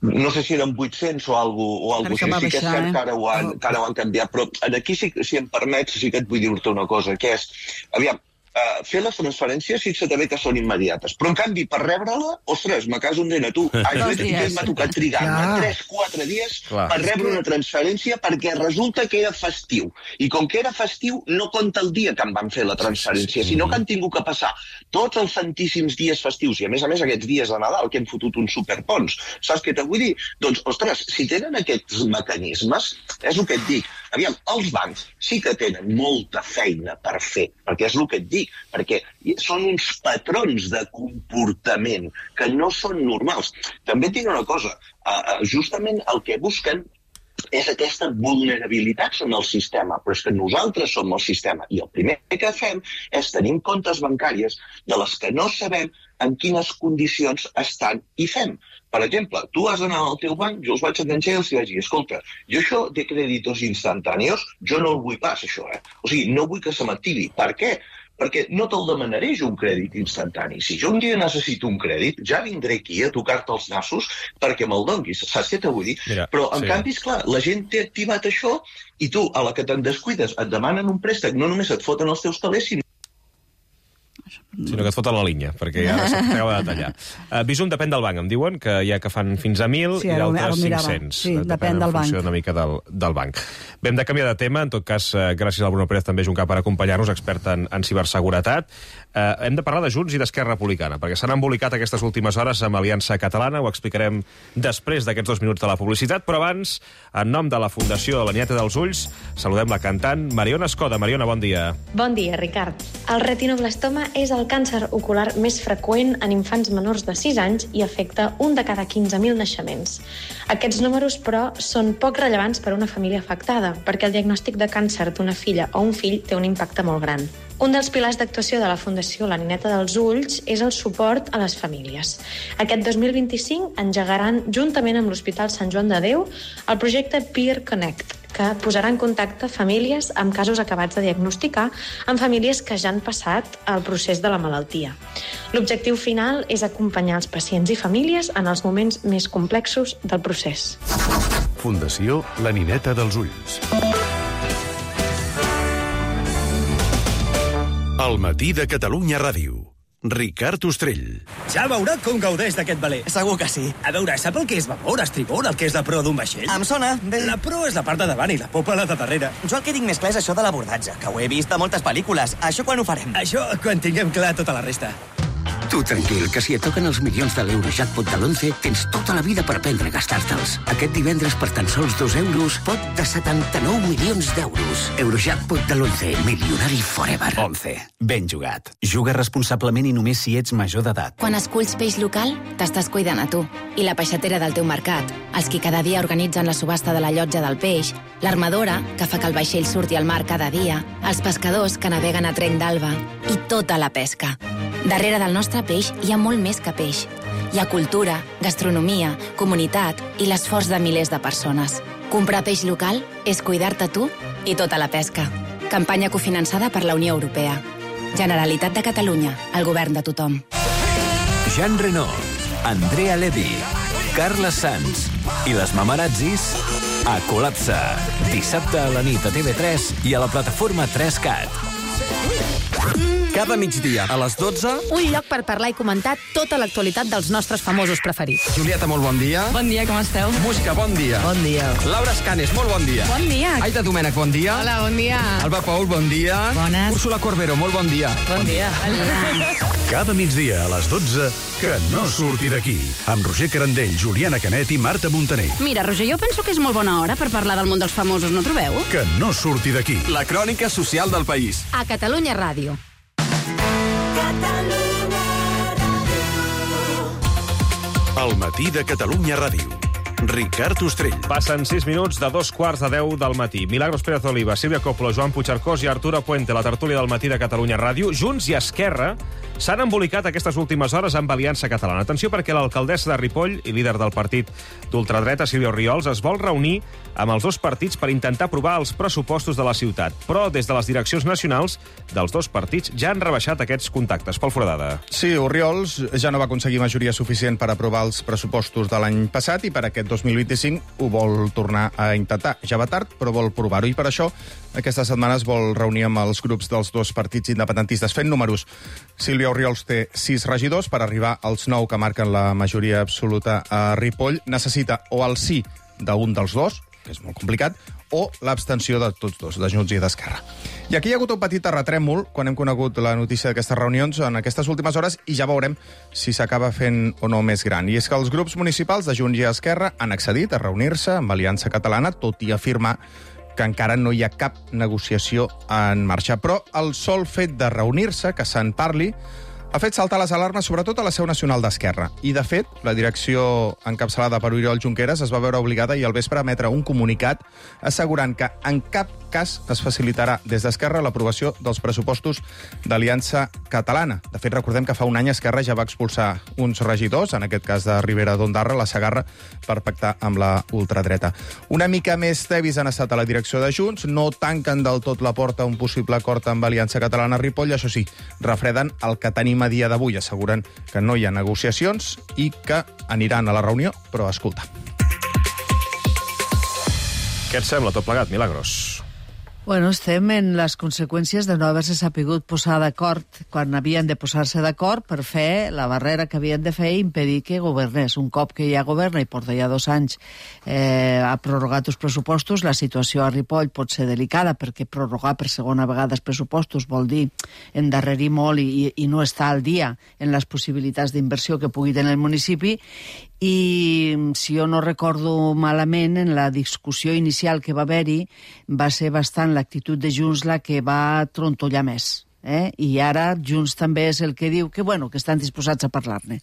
No sé si eren vuit-cents o alguna cosa així, sí que és cert que ara ho han, que ara ho han canviat, però aquí, si, si em permets, sí que et vull dir-te una cosa, que és, aviam, Uh, fer les transferències fixa't també que són immediates, però en canvi per rebre-la, ostres, me caso un nen a tu m'ha tocat trigar tres quatre dies Clar. per rebre una transferència perquè resulta que era festiu, i com que era festiu no compta el dia que em van fer la transferència, sinó que han tingut que passar tots els santíssims dies festius, i a més a més aquests dies de Nadal que hem fotut uns superpons, saps què te vull dir? Doncs, ostres, si tenen aquests mecanismes, és el que et dic, aviam, els bancs sí que tenen molta feina per fer, perquè és el que et dic, perquè són uns patrons de comportament que no són normals. També et dic una cosa, justament el que busquen és aquesta vulnerabilitat en el sistema, però és que nosaltres som el sistema, i el primer que fem és tenir comptes bancàries de les que no sabem en quines condicions estan i fem. Per exemple, tu has d'anar al teu banc, jo els vaig enganxar i els vaig dir, escolta, jo això de crèditos instantànios, jo no el vull pas, això, eh? O sigui, no vull que se m'activi. Per què? Perquè no te'l demanaré jo un crèdit instantani. Si jo un dia necessito un crèdit, ja vindré aquí a tocar-te els nassos perquè me'l donguis. Saps què t'ho vull dir? Mira, Però, en sí. canvi, esclar, la gent té activat això i tu, a la que te'n descuides, et demanen un préstec, no només et foten els teus calés, sinó sinó que et foten la línia, perquè ja s'acaba de tallar. Uh, Bizum depèn del banc, em diuen, que hi ha que fan fins a mil sí, i d'altres cinc-cents. Sí, depèn del banc. En funció una mica del, del banc. Bé, hem de canviar de tema, en tot cas, uh, gràcies al Bruno Pérez també Juncar per acompanyar-nos, expert en, en ciberseguretat. Uh, hem de parlar de Junts i d'Esquerra Republicana, perquè s'han embolicat aquestes últimes hores amb Aliança Catalana, ho explicarem després d'aquests dos minuts de la publicitat, però abans, en nom de la Fundació de la Nieta dels Ulls, saludem la cantant Mariona Escoda. Mariona, bon dia. Bon dia, Ricard. El retinoblastoma és el càncer ocular més freqüent en infants menors de sis anys i afecta un de cada quinze mil naixements. Aquests números, però, són poc rellevants per a una família afectada, perquè el diagnòstic de càncer d'una filla o un fill té un impacte molt gran. Un dels pilars d'actuació de la Fundació La Nineta dels Ulls és el suport a les famílies. Aquest dos mil vint-i-cinc engegaran, juntament amb l'Hospital Sant Joan de Déu, el projecte Peer Connect, que posarà en contacte famílies amb casos acabats de diagnosticar amb famílies que ja han passat el procés de la malaltia. L'objectiu final és acompanyar els pacients i famílies en els moments més complexos del procés. Fundació La Nineta dels Ulls. El matí de Catalunya Ràdio. Ricard Ostrell. Ja veurà com gaudeix d'aquest veler. Segur que sí. A veure, sap el que és vapor, estribor, el que és la proa d'un vaixell? Em sona, bé. La proa és la part de davant i la popa la de darrere. Jo el que tinc més clar és això de l'abordatge, que ho he vist a moltes pel·lícules. Això quan ho farem? Això quan tinguem clar tota la resta. Tu tranquil, que si et toquen els milions de l'Eurojackpot de l'onze, tens tota la vida per aprendre a gastar-te'ls. Aquest divendres, per tan sols dos euros, pot de setanta-nou milions d'euros. Eurojackpot de l'onze, milionari forever. onze. Ben jugat. Juga responsablement i només si ets major d'edat. Quan esculls peix local, t'estàs cuidant a tu. I la peixatera del teu mercat, els qui cada dia organitzen la subhasta de la llotja del peix, l'armadora, que fa que el vaixell surti al mar cada dia, els pescadors que naveguen a trenc d'alba i tota la pesca. Darrere del nostre peix hi ha molt més que peix. Hi ha cultura, gastronomia, comunitat i l'esforç de milers de persones. Comprar peix local és cuidar-te tu i tota la pesca. Campanya cofinançada per la Unió Europea. Generalitat de Catalunya, el govern de tothom. Jean Reno, Andrea Levy, Carles Sanz i les Mamarazzis a Col·lapse. Dissabte a la nit a T V tres i a la plataforma tres cat. Cada migdia, a les dotze... Un lloc per parlar i comentar tota l'actualitat dels nostres famosos preferits. Julieta, molt bon dia. Bon dia, com esteu? Música, bon dia. Bon dia. Laura Escanes, molt bon dia. Bon dia. Aida Domènech, bon dia. Hola, bon dia. Alba Paul, bon dia. Bones. Úrsula Corbero, molt bon dia. Bon dia. Cada migdia a les dotze, que no surti d'aquí. Amb Roger Carandell, Juliana Canet i Marta Montaner. Mira, Roger, jo penso que és molt bona hora per parlar del món dels famosos, no trobeu? Que no surti d'aquí. La crònica social del país. A Catalunya Ràdio. El matí de Catalunya Ràdio. Ricard Ostrell. Passen sis minuts de dos quarts de deu del matí. Milagros Pérez Oliva, Sílvia Coppola, Joan Puigcercós i Arturo Puente, la tertúlia del matí de Catalunya Ràdio. Junts i Esquerra s'han embolicat aquestes últimes hores amb Aliança Catalana. Atenció, perquè l'alcaldessa de Ripoll i líder del partit d'ultradreta, Sílvia Orriols, es vol reunir amb els dos partits per intentar aprovar els pressupostos de la ciutat. Però des de les direccions nacionals dels dos partits ja han rebaixat aquests contactes. Pol Foradada. Sí, Orriols ja no va aconseguir majoria suficient per aprovar els pressupostos de l'any passat i per aquest dos mil vint-i-cinc ho vol tornar a intentar. Ja va tard, però vol provar-ho. I per això aquesta setmana es vol reunir amb els grups dels dos partits independentistes. Fent números, Sílvia Orriols té sis regidors per arribar als nou que marquen la majoria absoluta a Ripoll. Necessita o el sí d'un dels dos, que és molt complicat, o l'abstenció de tots dos, de Junts i d'Esquerra. I aquí hi ha hagut un petit terratrèmol quan hem conegut la notícia d'aquestes reunions en aquestes últimes hores i ja veurem si s'acaba fent o no més gran. I és que els grups municipals de Junts i Esquerra han accedit a reunir-se amb Aliança Catalana, tot i afirmar que encara no hi ha cap negociació en marxa. Però el sol fet de reunir-se, que se'n parli, ha fet saltar les alarmes, sobretot a la seu nacional d'Esquerra. I, de fet, la direcció encapçalada per Oriol Junqueras es va veure obligada ahir al vespre a emetre un comunicat assegurant que en cap cas es facilitarà des d'Esquerra l'aprovació dels pressupostos d'Aliança Catalana. De fet, recordem que fa un any Esquerra ja va expulsar uns regidors, en aquest cas de Ribera d'Ondarra, la Segarra, per pactar amb la ultradreta. Una mica més tevis han estat a la direcció de Junts, no tanquen del tot la porta a un possible acord amb Aliança Catalana a Ripoll, això sí, refreden el que tenim a dia d'avui, asseguren que no hi ha negociacions i que aniran a la reunió, però escolta. Què et sembla tot plegat, Milagros? Bueno, estem en les conseqüències de no haver-se sapigut posar d'acord quan havien de posar-se d'acord per fer la barrera que havien de fer i impedir que governés. Un cop que ja governa i porta ja dos anys eh, ha prorrogat els pressupostos, la situació a Ripoll pot ser delicada perquè prorrogar per segona vegada els pressupostos vol dir endarrerir molt i, i no estar al dia en les possibilitats d'inversió que pugui tenir el municipi. I, si jo no recordo malament, en la discussió inicial que va haver-hi va ser bastant l'actitud de Junts la que va trontollar més. Eh? I ara Junts també és el que diu que, bueno, que estan disposats a parlar-ne.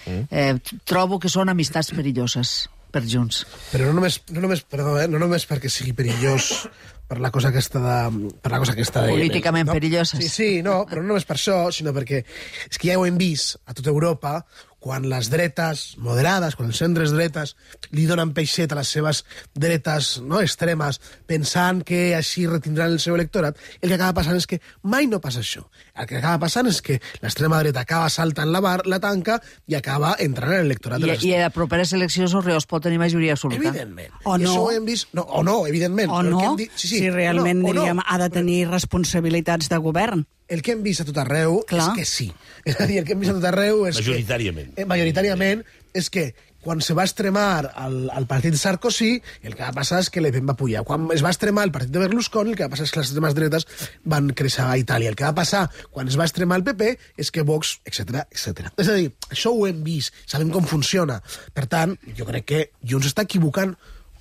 Mm. Eh, trobo que són amistats perilloses per Junts. Però no només, no només, perdó, eh, no només perquè sigui perillós per la cosa aquesta de... Per la cosa aquesta de políticament no? perilloses. Sí, sí, no, però no només per això, sinó perquè és que ja ho hem vist a tota Europa, quan les dretes moderades, quan els centres dretes li donen peixet a les seves dretes no, extremes, pensant que així retindran el seu electorat, el que acaba passant és que mai no passa això. El que acaba passant és que l'extrema dreta acaba saltant la, bar, la tanca i acaba entrant en l'electorat de I, les... I a properes eleccions Orreós pot tenir majoria absoluta. Evidentment. O I no. això ho hem vist... No, o no, evidentment. O Però el no, que hem dit... sí, sí, si realment no, diríem, no. ha de tenir responsabilitats de govern. El que hem vist a tot arreu Clar. és que sí. És a dir, el que hem vist a tot arreu és Majoritàriament. que... Eh, majoritàriament és que quan se va extremar el, el partit de Sarkozy, el que va passar és que Le Pen va pujar. Quan es va extremar el partit de Berlusconi, el que va passar és que les extremes dretes van créixer a Itàlia. El que va passar quan es va extremar el P P és que Vox, etcètera, etcètera. És a dir, això ho hem vist, sabem com funciona. Per tant, jo crec que Junts està equivocant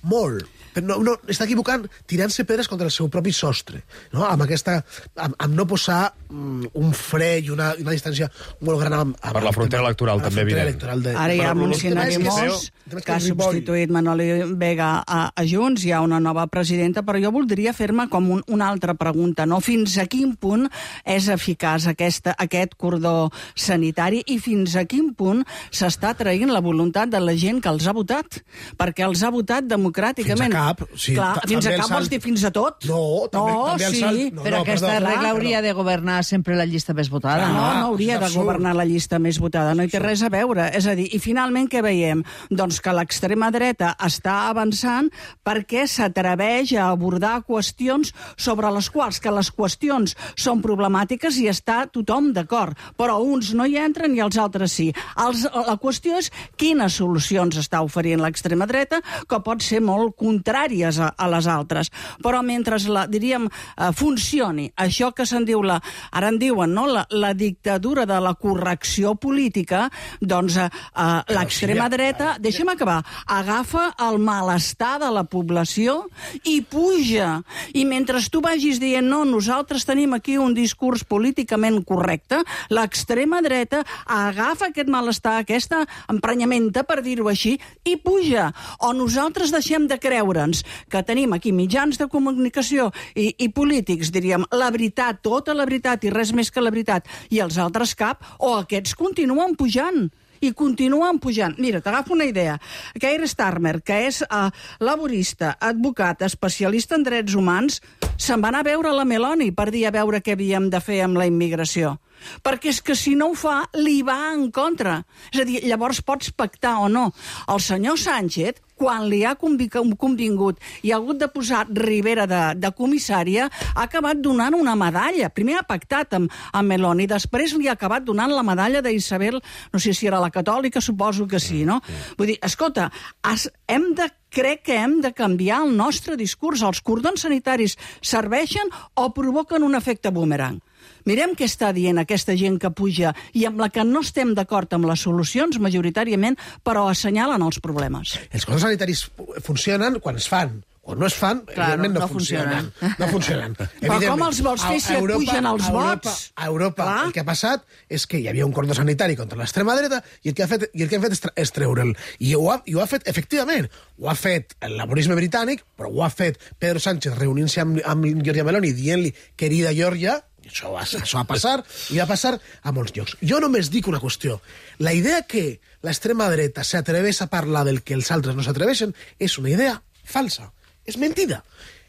molt. Però no, no, està equivocant tirant-se pedres contra el seu propi sostre, no? Amb aquesta... amb, amb no posar um, un fre i una, una distància molt gran amb, amb Per la frontera electoral, també, evident. De... Ara ja mencionaremos que ha substituït Manoli Vega a, a Junts, hi ha una nova presidenta, però jo voldria fer-me com un, una altra pregunta, no? Fins a quin punt és eficaç aquesta, aquest cordó sanitari i fins a quin punt s'està traient la voluntat de la gent que els ha votat? Perquè els ha votat democràticament. Fins a cap. Sí, Clar, fins a cap vols dir fins a tot? No, també, no, també el sí. salt... No, però no, aquesta perdó, regla clar, hauria però... de governar sempre la llista més votada, Ah, no? no, no hauria de absurd. governar la llista més votada, no hi té res a veure. És a dir, i finalment què veiem? Doncs que l'extrema dreta està avançant perquè s'atreveix a abordar qüestions sobre les quals que les qüestions són problemàtiques i està tothom d'acord, però uns no hi entren i els altres sí. Els, la qüestió és quines solucions està oferint l'extrema dreta, que pot ser molt contràries a, a les altres. Però mentre la, diríem, eh, funcioni això que se'n diu la, ara en diuen, no?, la, la dictadura de la correcció política, doncs eh, eh, l'extrema dreta, deixa'm acabar, agafa el malestar de la població i puja. I mentre tu vagis dient, no, nosaltres tenim aquí un discurs políticament correcte, l'extrema dreta agafa aquest malestar, aquesta emprenyamenta, per dir-ho així, i puja. O nosaltres deixem de creure'ns que tenim aquí mitjans de comunicació i, i polítics, diríem, la veritat, tota la veritat i res més que la veritat, i els altres cap, o aquests continuen pujant. I continuen pujant. Mira, t'agafo una idea. Keir Starmer, que és uh, laborista, advocat, especialista en drets humans, se'n va anar a veure la Meloni per dir a veure què havíem de fer amb la immigració. Perquè és que si no ho fa, li va en contra. És a dir, llavors pots pactar o no. El senyor Sánchez, quan li ha convingut i ha hagut de posar Rivera de, de comissària, ha acabat donant una medalla. Primer ha pactat amb, amb Meloni, després li ha acabat donant la medalla d'Isabel, no sé si era la catòlica, suposo que sí, no? Vull dir, escolta, has, hem de crec que hem de canviar el nostre discurs. Els cordons sanitaris serveixen o provoquen un efecte boomerang? Mirem què està dient aquesta gent que puja i amb la que no estem d'acord amb les solucions, majoritàriament, però assenyalen els problemes. Els cordons sanitaris funcionen quan es fan. Quan no es fan, claro, evidentment no, no funcionen. funcionen. No funcionen. Però com els vols fer si et pugen els vots? A Europa, Clar. el que ha passat és que hi havia un cordó sanitari contra l'extrema dreta i el que ha fet, i el que han fet és, és treure'l. I ho, ha, I ho ha fet, efectivament, ho ha fet el laborisme britànic, però ho ha fet Pedro Sánchez reunint-se amb, amb Giorgia Meloni dient-li querida Giorgia, i això va, això va passar, i va passar a molts llocs. Jo només dic una qüestió. La idea que l'extrema dreta s'atreveix a parlar del que els altres no s'atreveixen és una idea falsa. És mentida.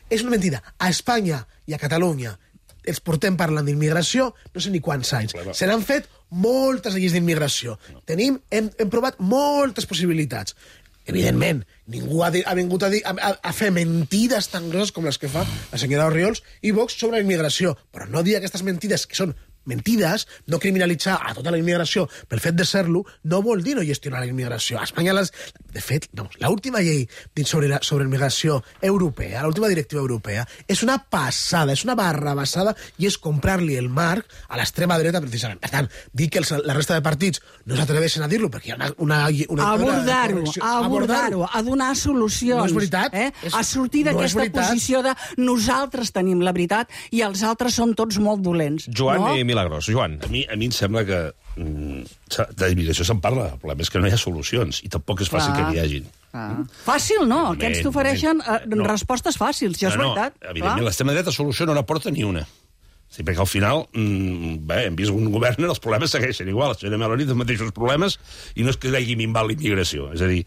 És una mentida. A Espanya i a Catalunya els portem parlant d'immigració no sé ni quants anys. Se n'han fet moltes lleis d'immigració. Tenim, hem, hem provat moltes possibilitats. Evidentment, ningú ha, de, ha vingut a, dir, a, a fer mentides tan grosses com les que fa la senyora Orriols i Vox sobre la immigració. Però no dir aquestes mentides que són mentides, no criminalitzar a tota la immigració pel fet de ser-lo, no vol dir no gestionar la immigració. A Espanya, les... de fet, vamos, l'última llei sobre, la, sobre immigració europea, l'última directiva europea, és una passada, és una barra basada i és comprar-li el marc a l'extrema dreta, precisament. Per tant, dir que els, la resta de partits no s'atreveixen a dir-lo perquè hi ha una... una, una abordar-ho, abordar-ho, a donar solucions. No és veritat. Eh? És, a sortir d'aquesta no posició de nosaltres tenim la veritat i els altres són tots molt dolents. Joan no? i Milagros. Joan. A mi, a mi em sembla que mm, d'immigració se'n parla, el problema és que no hi ha solucions, i tampoc és fàcil Clar. que n'hi hagin. Ah. Fàcil no, aquests t'ofereixen uh, no. respostes fàcils, això és no, no, veritat. evidentment, l'extrema dreta solució no n'aporta ni una. Sí, perquè al final, mmm, bé, hem vist un govern, els problemes segueixen igual, la senyora Meloni té els mateixos problemes, i no és que hagi minvat la immigració. És a dir,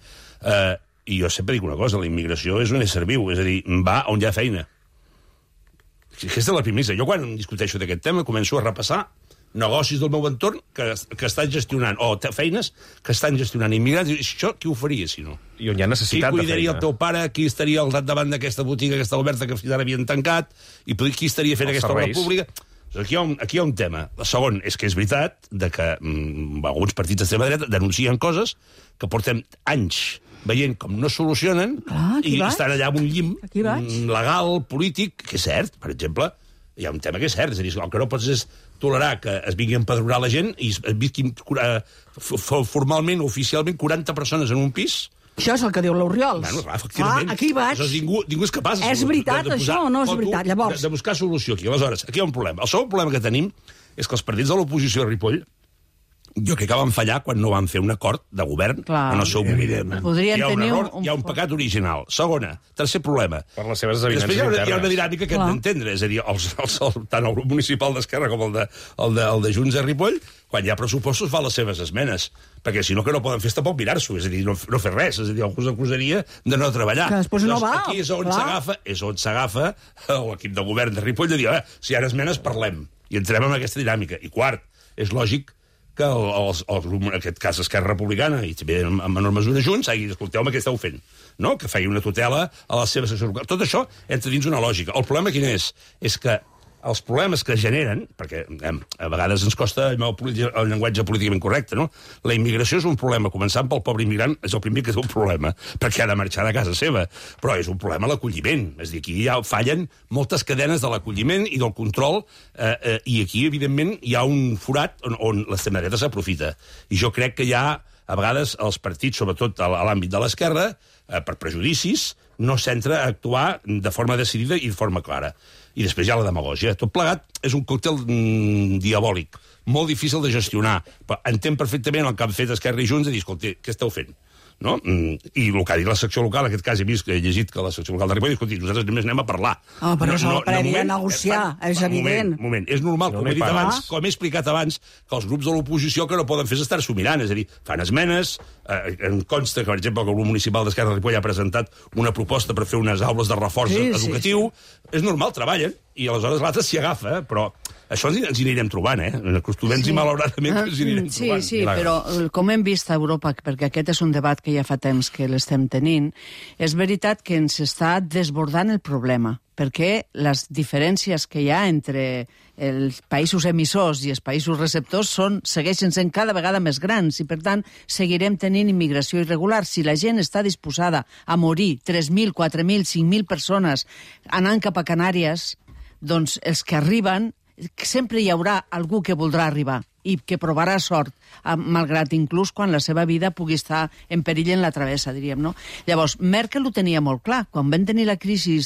eh, i jo sempre dic una cosa, la immigració és un ésser viu, és a dir, va on hi ha feina. Aquesta és la primera. Jo quan discuteixo d'aquest tema començo a repassar negocis del meu entorn que, que estan gestionant, o feines que estan gestionant immigrants, i això qui ho faria, si no? I on hi ha necessitat de feina. Qui cuidaria el teu pare, qui estaria al davant d'aquesta botiga que està oberta, que fins ara havien tancat, i qui estaria fent els aquesta serveis. Obra pública? Aquí hi, ha un, aquí hi ha un tema. El segon és que és veritat de que mm, alguns partits d'extrema dreta denuncien coses que portem anys veient com no solucionen, ah, i vaig? Estan allà amb un llim legal, polític, que és cert, per exemple, hi ha un tema que és cert, és a dir, el que no pots és tolerar que es vingui a empadronar la gent i es visquin uh, formalment, oficialment, quaranta persones en un pis. Això és el que diu l'Oriol. Bueno, clar, efectivament. Ah, aquí vaig. Aleshores, ningú, ningú és capaç... És veritat, de, de això, o no és veritat? Llavors... De, de buscar solució aquí. Aleshores, aquí hi ha un problema. El segon problema que tenim és que els partits de l'oposició de Ripoll jo crec que van fallar quan no van fer un acord de govern Clar, en el seu moment. Podrien hi ha un tenir error, un... hi ha un pecat original. Segona, tercer problema. Per les seves evidències Després hi ha, una, internes. hi ha una dinàmica que hem d'entendre, és a dir, els, els, el, tant el grup municipal d'Esquerra com el de, el, de, el de Junts de Ripoll, quan hi ha pressupostos fa les seves esmenes, perquè si no que no poden fer és tampoc mirar-s'ho, és a dir, no, no fer res, és a dir, algú s'acusaria de no treballar. Que després no va. Aquí és on s'agafa, és on s'agafa l'equip de govern de Ripoll de dir, eh, si hi ha esmenes parlem, i entrem en aquesta dinàmica. I quart, és lògic que el, el, el, en aquest cas Esquerra Republicana, i també en, en menor mesura Junts, hagi dit, escolteu-me, què esteu fent? No? Que feia una tutela a les seves seccions locals. Tot això entra dins una lògica. El problema quin és? És que els problemes que generen, perquè eh, a vegades ens costa el, el llenguatge políticament correcte, no? La immigració és un problema, començant pel pobre immigrant, és el primer que és un problema, perquè ha de marxar de casa seva, però és un problema l'acolliment, és a dir, aquí ja fallen moltes cadenes de l'acolliment i del control, eh, eh, i aquí, evidentment, hi ha un forat on, on l'extrema dreta s'aprofita. I jo crec que hi ha, a vegades, els partits, sobretot a l'àmbit de l'esquerra, eh, per prejudicis, no s'entra a actuar de forma decidida i de forma clara. I després hi ha la demagògia. Tot plegat és un còctel mm, diabòlic, molt difícil de gestionar. Però entenc perfectament el que han fet Esquerra i Junts de dir, escolta, què esteu fent? No? I el que ha dit la secció local, en aquest cas he vist que he llegit que la secció local de Ripoll, escolti, nosaltres només anem a parlar. Ah, però no, és el no, previ moment, a negociar, fan, és evident. Moment, moment. És normal, no com he dit parlar. abans, com he explicat abans, que els grups de l'oposició que no poden fer és estar-s'ho mirant, és a dir, fan esmenes, eh, en consta que, per exemple, el grup municipal d'Esquerra de Ripoll ha presentat una proposta per fer unes aules de reforç sí, educatiu, sí, sí. És normal, treballen, i aleshores l'altre s'hi agafa, però això ens, ens hi anirem trobant, eh? Acostumem-nos sí. i malauradament ens hi anirem sí, trobant. Sí, sí, però com hem vist a Europa, perquè aquest és un debat que ja fa temps que l'estem tenint, és veritat que ens està desbordant el problema, perquè les diferències que hi ha entre els països emissors i els països receptors són, segueixen sent cada vegada més grans i, per tant, seguirem tenint immigració irregular. Si la gent està disposada a morir tres mil, quatre mil, cinc mil persones anant cap a Canàries, doncs els que arriben, sempre hi haurà algú que voldrà arribar i que provarà sort, malgrat inclús quan la seva vida pugui estar en perill en la travessa, diríem, no? Llavors, Merkel ho tenia molt clar. Quan van tenir la crisi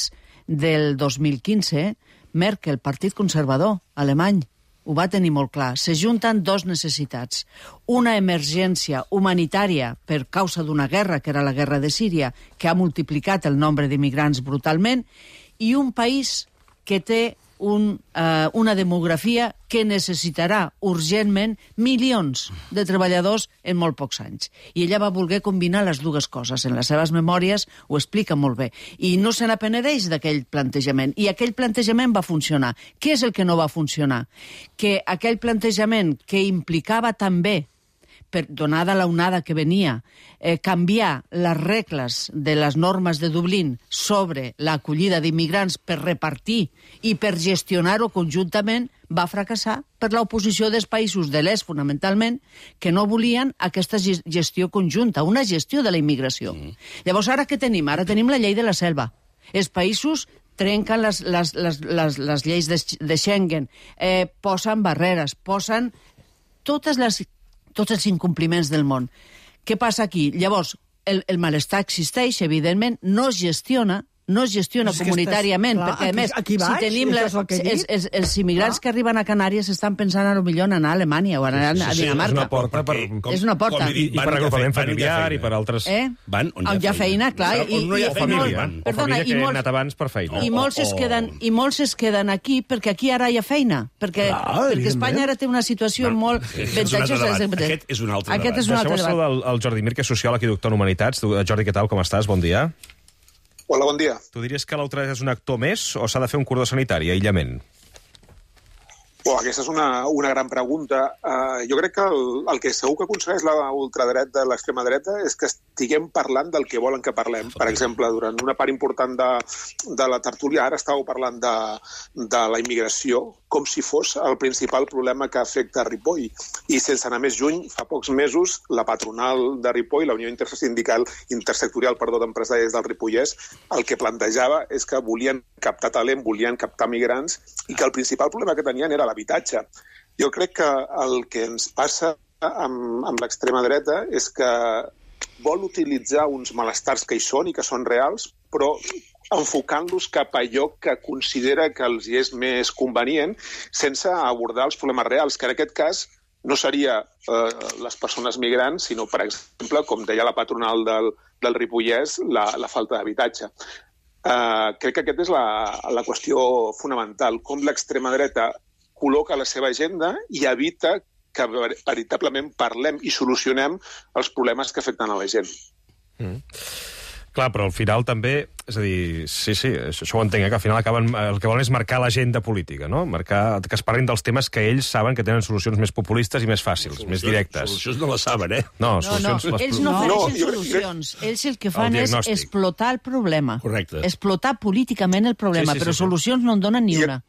del dos mil quinze, Merkel, Partit Conservador alemany, ho va tenir molt clar. Se junten dos necessitats. Una emergència humanitària per causa d'una guerra, que era la guerra de Síria, que ha multiplicat el nombre d'immigrants brutalment, i un país que té un, uh, una demografia que necessitarà urgentment milions de treballadors en molt pocs anys. I ella va voler combinar les dues coses. En les seves memòries ho explica molt bé. I no se n'apenedeix d'aquell plantejament. I aquell plantejament va funcionar. Què és el que no va funcionar? Que aquell plantejament que implicava també, per, donada la onada que venia, eh, canviar les regles de les normes de Dublín sobre l'acollida d'immigrants per repartir i per gestionar-ho conjuntament, va fracassar per l'oposició dels països de l'est, fonamentalment, que no volien aquesta gestió conjunta, una gestió de la immigració. Mm. Llavors, ara què tenim? Ara tenim la llei de la selva. Els països trenquen les, les, les, les, les lleis de, de Schengen, eh, posen barreres, posen totes les... tots els incompliments del món. Què passa aquí? Llavors, el, el malestar existeix, evidentment, no es gestiona, no es gestiona És que comunitàriament, estàs- clar, perquè, a aquí- més, aquí si vaig, tenim això la, és el que he els, dit. els, els immigrants que arriben a Canàries estan pensant a lo millor en anar a Alemanya o anar a Dinamarca. És una porta per... És una porta. I, i per agrupament familiar i per altres... Eh? Van on hi ha, On hi ha feina, clar. On no hi ha i- i- feina, molt- hi van. O Perdona, família i que ha molts- anat abans per feina. I molts, es queden, I molts es queden aquí perquè aquí ara hi ha feina. Perquè, Clar, perquè evidentment. Espanya ara té una situació Bueno, molt aquest és un altre avantatjosa. debat. Aquest és un altre Aquest debat. és un altre Deixeu-me debat. saludar el, el Jordi Mir, que és sociòleg i doctor en Humanitats. Tu, Jordi, què tal, com estàs? Bon dia. Hola, bon dia. Tu diries que l'ultraderesa és un actor més o s'ha de fer un cordó sanitari, aïllament? Oh, aquesta és una, una gran pregunta. Uh, jo crec que el, el que segur que aconsegueix la ultradreta, l'extrema dreta, és que estiguem parlant del que volen que parlem. Per exemple, durant una part important de, de la tertúlia, ara estàveu parlant de, de la immigració, com si fos el principal problema que afecta Ripoll. I sense anar més lluny, fa pocs mesos, la patronal de Ripoll, la Unió Intersindical Intersectorial perdó, d'Empresaris del Ripollès, el que plantejava és que volien captar talent, volien captar migrants, i que el principal problema que tenien era l'habitatge. Jo crec que el que ens passa amb, amb l'extrema dreta és que vol utilitzar uns malestars que hi són i que són reals, però enfocant-los cap a allò que considera que els hi és més convenient, sense abordar els problemes reals, que en aquest cas no seria eh, les persones migrants, sinó, per exemple, com deia la patronal del, del Ripollès, la, la falta d'habitatge. Eh, crec que aquesta és la, la qüestió fonamental, com l'extrema dreta col·loca la seva agenda i evita que veritablement parlem i solucionem els problemes que afecten a la gent. Mm. Clar, però al final també... És a dir, sí, sí, això, això ho entenc, eh, que al final acaben, el que volen és marcar l'agenda política, no? Marcar, que es parlin dels temes que ells saben que tenen solucions més populistes i més fàcils, solucions, més directes. Solucions no les saben, eh? No, No, no, solucions... les- ells no ofereixen No, jo- solucions. Ells el que fan El és diagnòstic. explotar el problema. Correcte. Explotar políticament el problema, Sí, sí, però sí, sí. solucions no en donen ni I- una.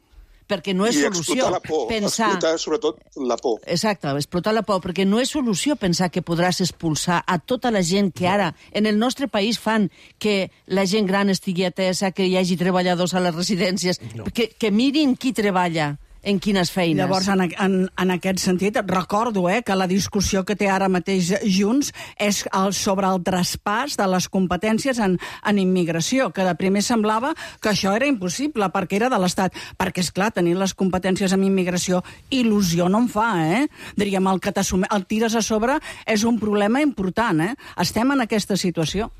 Perquè no és I solució explotar la por, pensar... explotar sobretot la por. Exacte, explotar la por, perquè no és solució pensar que podràs expulsar a tota la gent que ara en el nostre país fan que la gent gran estigui atesa, que hi hagi treballadors a les residències, no. que, que mirin qui treballa en quines feines. Llavors, en, en, en aquest sentit, recordo eh, que la discussió que té ara mateix Junts és el, sobre el traspàs de les competències en, en immigració, que de primer semblava que això era impossible perquè era de l'Estat. Perquè, és clar, tenir les competències en immigració il·lusió no en fa, eh? Diríem, el que el tires a sobre és un problema important, eh? Estem en aquesta situació.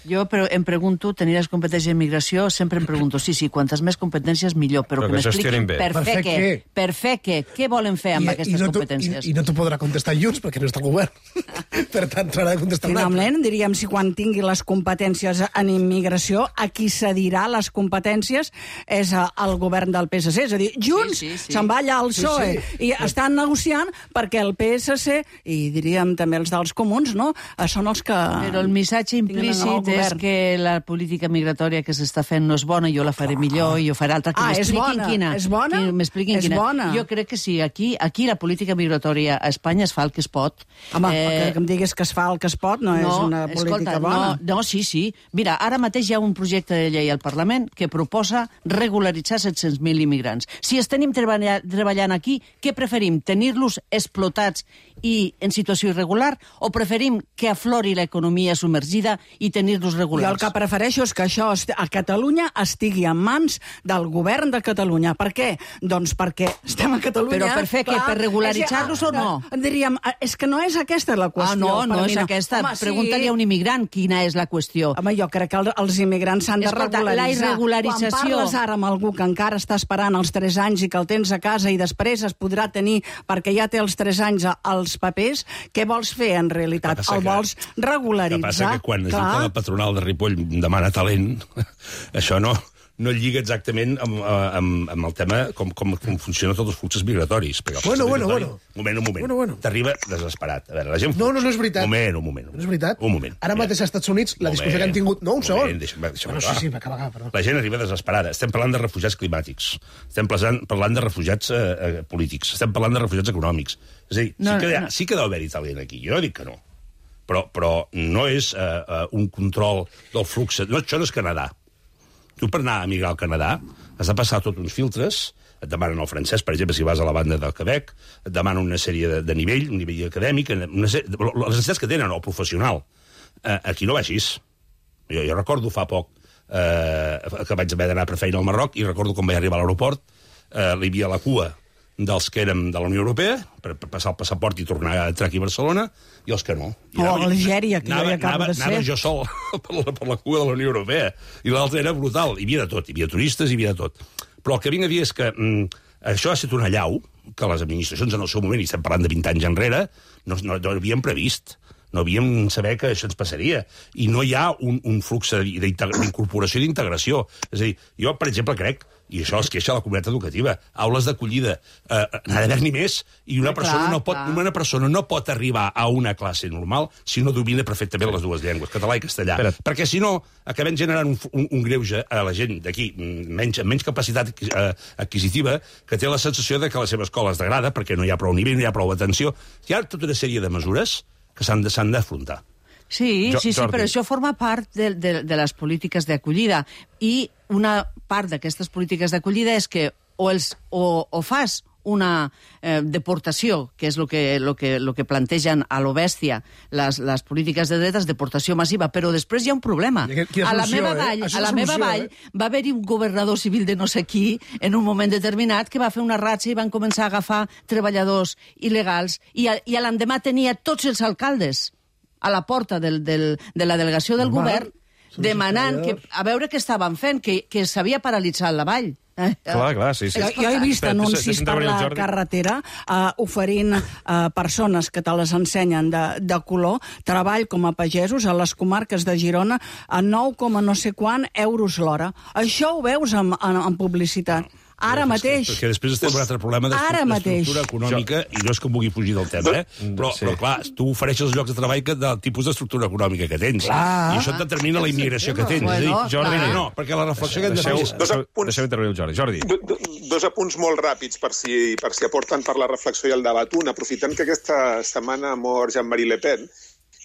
Jo però em pregunto, tenir les competències d'immigració, sempre em pregunto, sí, sí, quantes més competències millor, però, Però que que gestionin m'expliquin bé. per, Per fer fer què, què? per fer què, què volen fer amb I, aquestes i no competències. I, I no t'ho podrà contestar Junts, perquè no està al govern. Per tant, t'haurà de contestar un altre. Finalment, diríem, si quan tingui les competències en immigració, a qui cedirà les competències és a- al govern del P S C. És a dir, Junts Sí, sí, sí. se'n va allà al Sí, P S O E sí. i estan negociant perquè el P S C, i diríem també els dels comuns, no?, eh, són els que... Però el missatge tinguen el implícit és govern. que la política migratòria que s'està fent no és bona, jo la faré millor, i jo faré altra, que Ah, és m'expliquin bona, quina. és bona? Que m'expliquin És quina. bona. Jo crec que sí, aquí, aquí la política migratòria a Espanya es fa el que es pot. Home, eh... que em diguis que es fa el que es pot no, és una política escolta, bona. No, no, sí, sí. Mira, ara mateix hi ha un projecte de llei al Parlament que proposa regularitzar set-cents mil immigrants. Si els tenim treballa, treballant aquí, què preferim? Tenir-los explotats i en situació irregular o preferim que aflori l'economia submergida i tenir-los Jo regulars? el que prefereixo és que això est- a Catalunya estigui en mans del govern de Catalunya. Per què? Doncs perquè estem a Catalunya... Però per fer què? Per regularitzar-los o no? Eh, Diríem, eh, és que no és aquesta la qüestió. Ah, no, no per és mi aquesta. Home, sí. Pregunta-li a un immigrant quina és la qüestió. Home, jo crec que el, els immigrants s'han de Escolta, la regularitzar. irregularització- Quan parles ara amb algú que encara està esperant els tres anys i que el tens a casa i després es podrà tenir perquè ja té els tres anys a- als papers, què vols fer en realitat? Que passa El que- vols El que regularitzar? passa que quan es diu Clar. que la patronal de Ripoll demana talent, això no, no lliga exactament amb, amb, amb el tema com, com, com funcionen tots els fluxos migratoris. Perquè el flux Bueno, bueno, migratori- bueno. Un moment, un moment. Bueno, bueno. T'arriba desesperat. A veure, la gent... No, no, no és veritat. Un moment, un moment. No és veritat. Un moment. Ara Mira. mateix als Estats Units, la Un discussió que han moment, tingut... No, un segon. moment, deixa'm- deixa'm Bueno, sí, acabar. sí, va acabar, acabar, perdó. La gent arriba desesperada. Estem parlant de refugiats climàtics. Estem parlant, parlant de refugiats eh, eh, polítics. Estem parlant de refugiats econòmics. És a dir, No, sí que, no. sí que deu haver-hi talent aquí. Jo no dic que no. Però, però no és eh, eh, un control del flux. No, això no és Canadà. Tu per anar a migrar al Canadà has de passar tots uns filtres, et demanen el francès, per exemple, si vas a la banda del Quebec, et demanen una sèrie de, de nivell, un nivell acadèmic, una sèrie, les necessitats que tenen, o professional. Eh, aquí no va així. Jo, jo recordo fa poc eh, que vaig haver d'anar per feina al Marroc, i recordo quan vaig arribar a l'aeroport, eh, hi havia la cua dels que érem de la Unió Europea, per, per passar el passaport i tornar a entrar aquí a Barcelona, i els que no. I o a Algèria, que anava, jo ja acabo anava, de ser. Anava jo sol per la, per la cua de la Unió Europea, i l'altre era brutal. Hi havia de tot, hi havia turistes, hi havia de tot. Però el que vinc a dir és que mm, això ha estat una allau que les administracions en el seu moment, i estem parlant de vint anys enrere, no, no, no havien previst. No havíem saber que això ens passaria. I no hi ha un, un flux d'incorporació i d'integració. És a dir, jo, per exemple, crec, i això es queixa la comunitat educativa, aules d'acollida, eh, n'ha d'haver ni més, i una, Clar, persona no pot, clar. una persona no pot arribar a una classe normal si no domina perfectament les dues llengües, català i castellà. Espera. Perquè, si no, acabem generant un, un, un greuge a la gent d'aquí, menys, amb menys capacitat eh, adquisitiva, que té la sensació de que la seva escola es degrada perquè no hi ha prou nivell, no hi ha prou atenció. Hi ha tota una sèrie de mesures que s'han d'afrontar. Sí, Jo- sí, sí, Jordi. però això forma part de, de, de les polítiques d'acollida. I una part d'aquestes polítiques d'acollida és que o, els, o, o fas una eh, deportació, que és el que, lo que, lo que plantegen a lo bèstia les, les polítiques de dretes, deportació massiva, però després hi ha un problema. Quina A la solució, meva eh? vall, Això a és la meva solució, vall eh? va haver-hi un governador civil de no sé qui en un moment determinat que va fer una ratxa i van començar a agafar treballadors il·legals i, a, i a l'endemà tenia tots els alcaldes a la porta del, del, de la delegació del Normal. govern demanant que, a veure què estaven fent, que, que s'havia paralitzat la vall. Eh? Clar, clar, sí, sí. Jo, jo he vist Espera, anuncis deixa- deixa'm per intervenir el la Jordi. carretera uh, oferint uh, persones que te les ensenyen de, de color treball com a pagesos a les comarques de Girona a nou coma no sé quant euros l'hora. Això ho veus en, en, en publicitat. Ara mateix. Perquè després estem amb un altre problema Ara mateix. d'estructura econòmica, i no és que em vulgui fugir del tema, eh? Però, Sí. però clar, tu ofereixes els llocs de treball que, del tipus d'estructura econòmica que tens. Clar. I això et determina la immigració que tens. Bueno, és a dir, Jordi, clar. no, perquè la reflexió que hem de fer Deixeu, és... Dos deixeu, apunts. deixeu intervenir el Jordi. Jordi. Do, do, dos apunts molt ràpids per si, per si aporten per la reflexió i el debat. Un, aprofitant que aquesta setmana ha mort Jean-Marie Le Pen,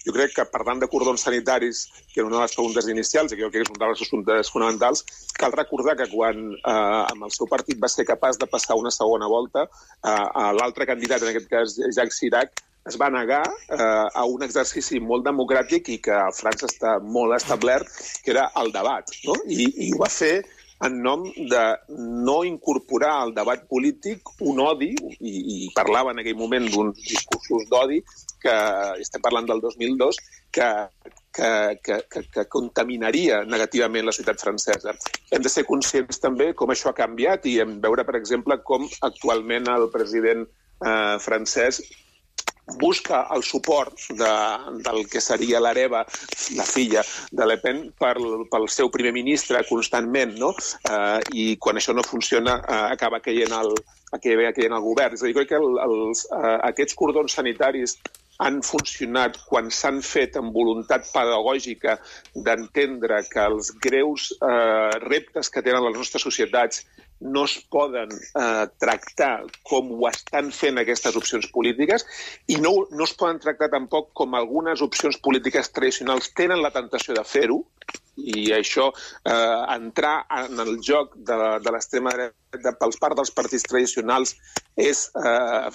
jo crec que parlant de cordons sanitaris, que era una de les preguntes inicials, i que jo crec que és un dels assumptes fonamentals, cal recordar que quan eh, amb el seu partit va ser capaç de passar una segona volta, eh, l'altre candidat, en aquest cas Jacques Chirac, es va negar eh, a un exercici molt democràtic i que a França està molt establert, que era el debat, no? I, i ho va fer en nom de no incorporar al debat polític un odi, i, i parlava en aquell moment d'uns discursos d'odi, que estem parlant del dos mil dos, que, que, que, que, que contaminaria negativament la societat francesa. Hem de ser conscients també com això ha canviat i hem veure, per exemple, com actualment el president eh, francès busca el suport de, del que seria l'hereva, la filla de Le Pen, per, pel seu primer ministre constantment, no? Eh, I quan això no funciona, eh, acaba caient el, acaba caient el govern. És a dir, crec que el, els, eh, aquests cordons sanitaris han funcionat quan s'han fet amb voluntat pedagògica d'entendre que els greus eh, reptes que tenen les nostres societats no es poden eh, tractar com ho estan fent aquestes opcions polítiques i no, no es poden tractar tampoc com algunes opcions polítiques tradicionals tenen la tentació de fer-ho, i això, eh, entrar en el joc de, de l'extrema dreta pels part dels partits tradicionals és eh,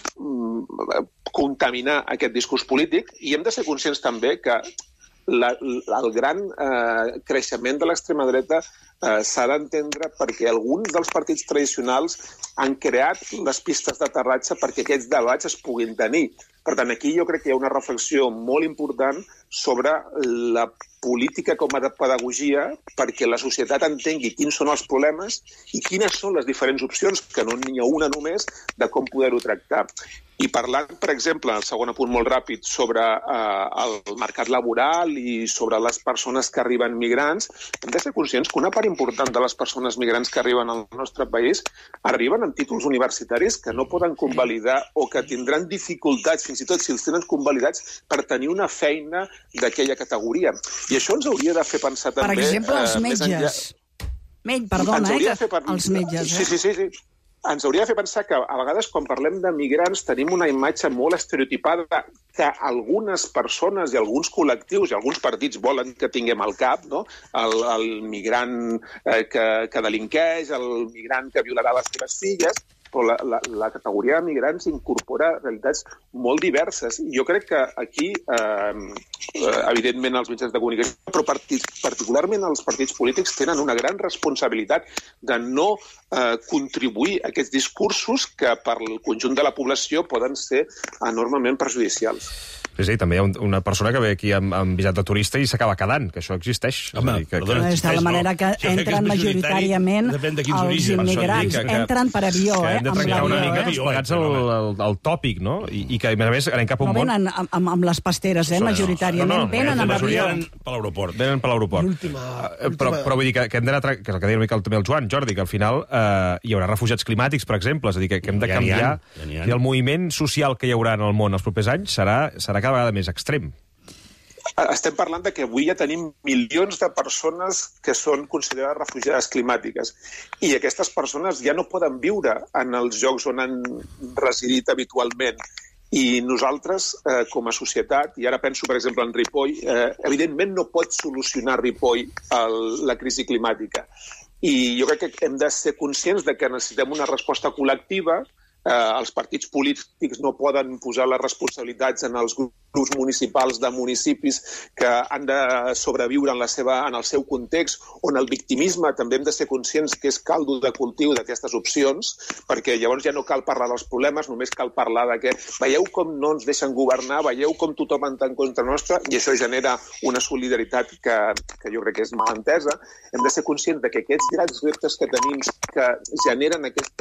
contaminar aquest discurs polític, i hem de ser conscients també que la, la, el gran eh, creixement de l'extrema dreta eh, s'ha d'entendre perquè alguns dels partits tradicionals han creat les pistes d'aterratge perquè aquests debats es puguin tenir. Per tant, aquí jo crec que hi ha una reflexió molt important sobre la política com a de pedagogia perquè la societat entengui quins són els problemes i quines són les diferents opcions, que no n'hi ha una només, de com poder-ho tractar. I parlant, per exemple, el segon apunt molt ràpid, sobre eh, el mercat laboral i sobre les persones que arriben migrants, hem de ser conscients que una part important de les persones migrants que arriben al nostre país arriben amb títols universitaris que no poden convalidar o que tindran dificultats, fins i tot si els tenen convalidats, per tenir una feina d'aquella categoria. I això ens hauria de fer pensar també... Per exemple, els eh, més enllà- metges. Metge, perdona, Ens eh, hauria que, de fer pen- els metges. Sí, Eh? sí, sí, sí. Ens hauria de fer pensar que a vegades quan parlem de migrants tenim una imatge molt estereotipada que algunes persones i alguns col·lectius i alguns partits volen que tinguem al cap, no? El, el migrant eh, que, que delinqueix, el migrant que violarà les seves filles, però la, la, la categoria de migrants incorpora realitats molt diverses. I jo crec que aquí, eh, evidentment, els mitjans de comunicació, però partits, particularment els partits polítics, tenen una gran responsabilitat de no eh, contribuir a aquests discursos que per al conjunt de la població poden ser enormement perjudicials. Sí, sí, també hi ha un, una persona que ve aquí amb, amb visat de turista i s'acaba quedant, que això existeix. Home, que, que, perdona, És de la manera que no. entren majoritàriament els immigrants. que, que, entren per avió, que eh? hem de trencar una mica tots plegats el, el, el tòpic, no? I, i que, a més a més, anem cap a un no món... venen amb, amb, amb les pasteres, eh? Majoritàriament no, no, no, venen amb avió. Venen per l'aeroport. Venen per l'aeroport. L'última... Però, però vull dir que, que hem d'anar... Que és el que deia una mica també el Joan, Jordi, que al final eh, hi haurà refugiats climàtics, per exemple, és a dir, que, que hem de Ja n'hi canviar... ha, ja n'hi ha. I el moviment social que hi haurà en el món els propers anys serà, serà cada vegada més extrem. Estem parlant de que avui ja tenim milions de persones que són considerades refugiades climàtiques i aquestes persones ja no poden viure en els llocs on han residit habitualment. I nosaltres, eh, com a societat, i ara penso, per exemple, en Ripoll, eh, evidentment no pot solucionar Ripoll el, la crisi climàtica. I jo crec que hem de ser conscients de que necessitem una resposta col·lectiva. Eh, els partits polítics no poden posar les responsabilitats en els grups municipals de municipis que han de sobreviure en, la seva, en el seu context, on el victimisme també hem de ser conscients que és caldo de cultiu d'aquestes opcions, perquè llavors ja no cal parlar dels problemes, només cal parlar de que veieu com no ens deixen governar, veieu com tothom està en contra nostra, i això genera una solidaritat que, que jo crec que és mal entesa. Hem de ser conscients de que aquests grans reptes que tenim que generen aquesta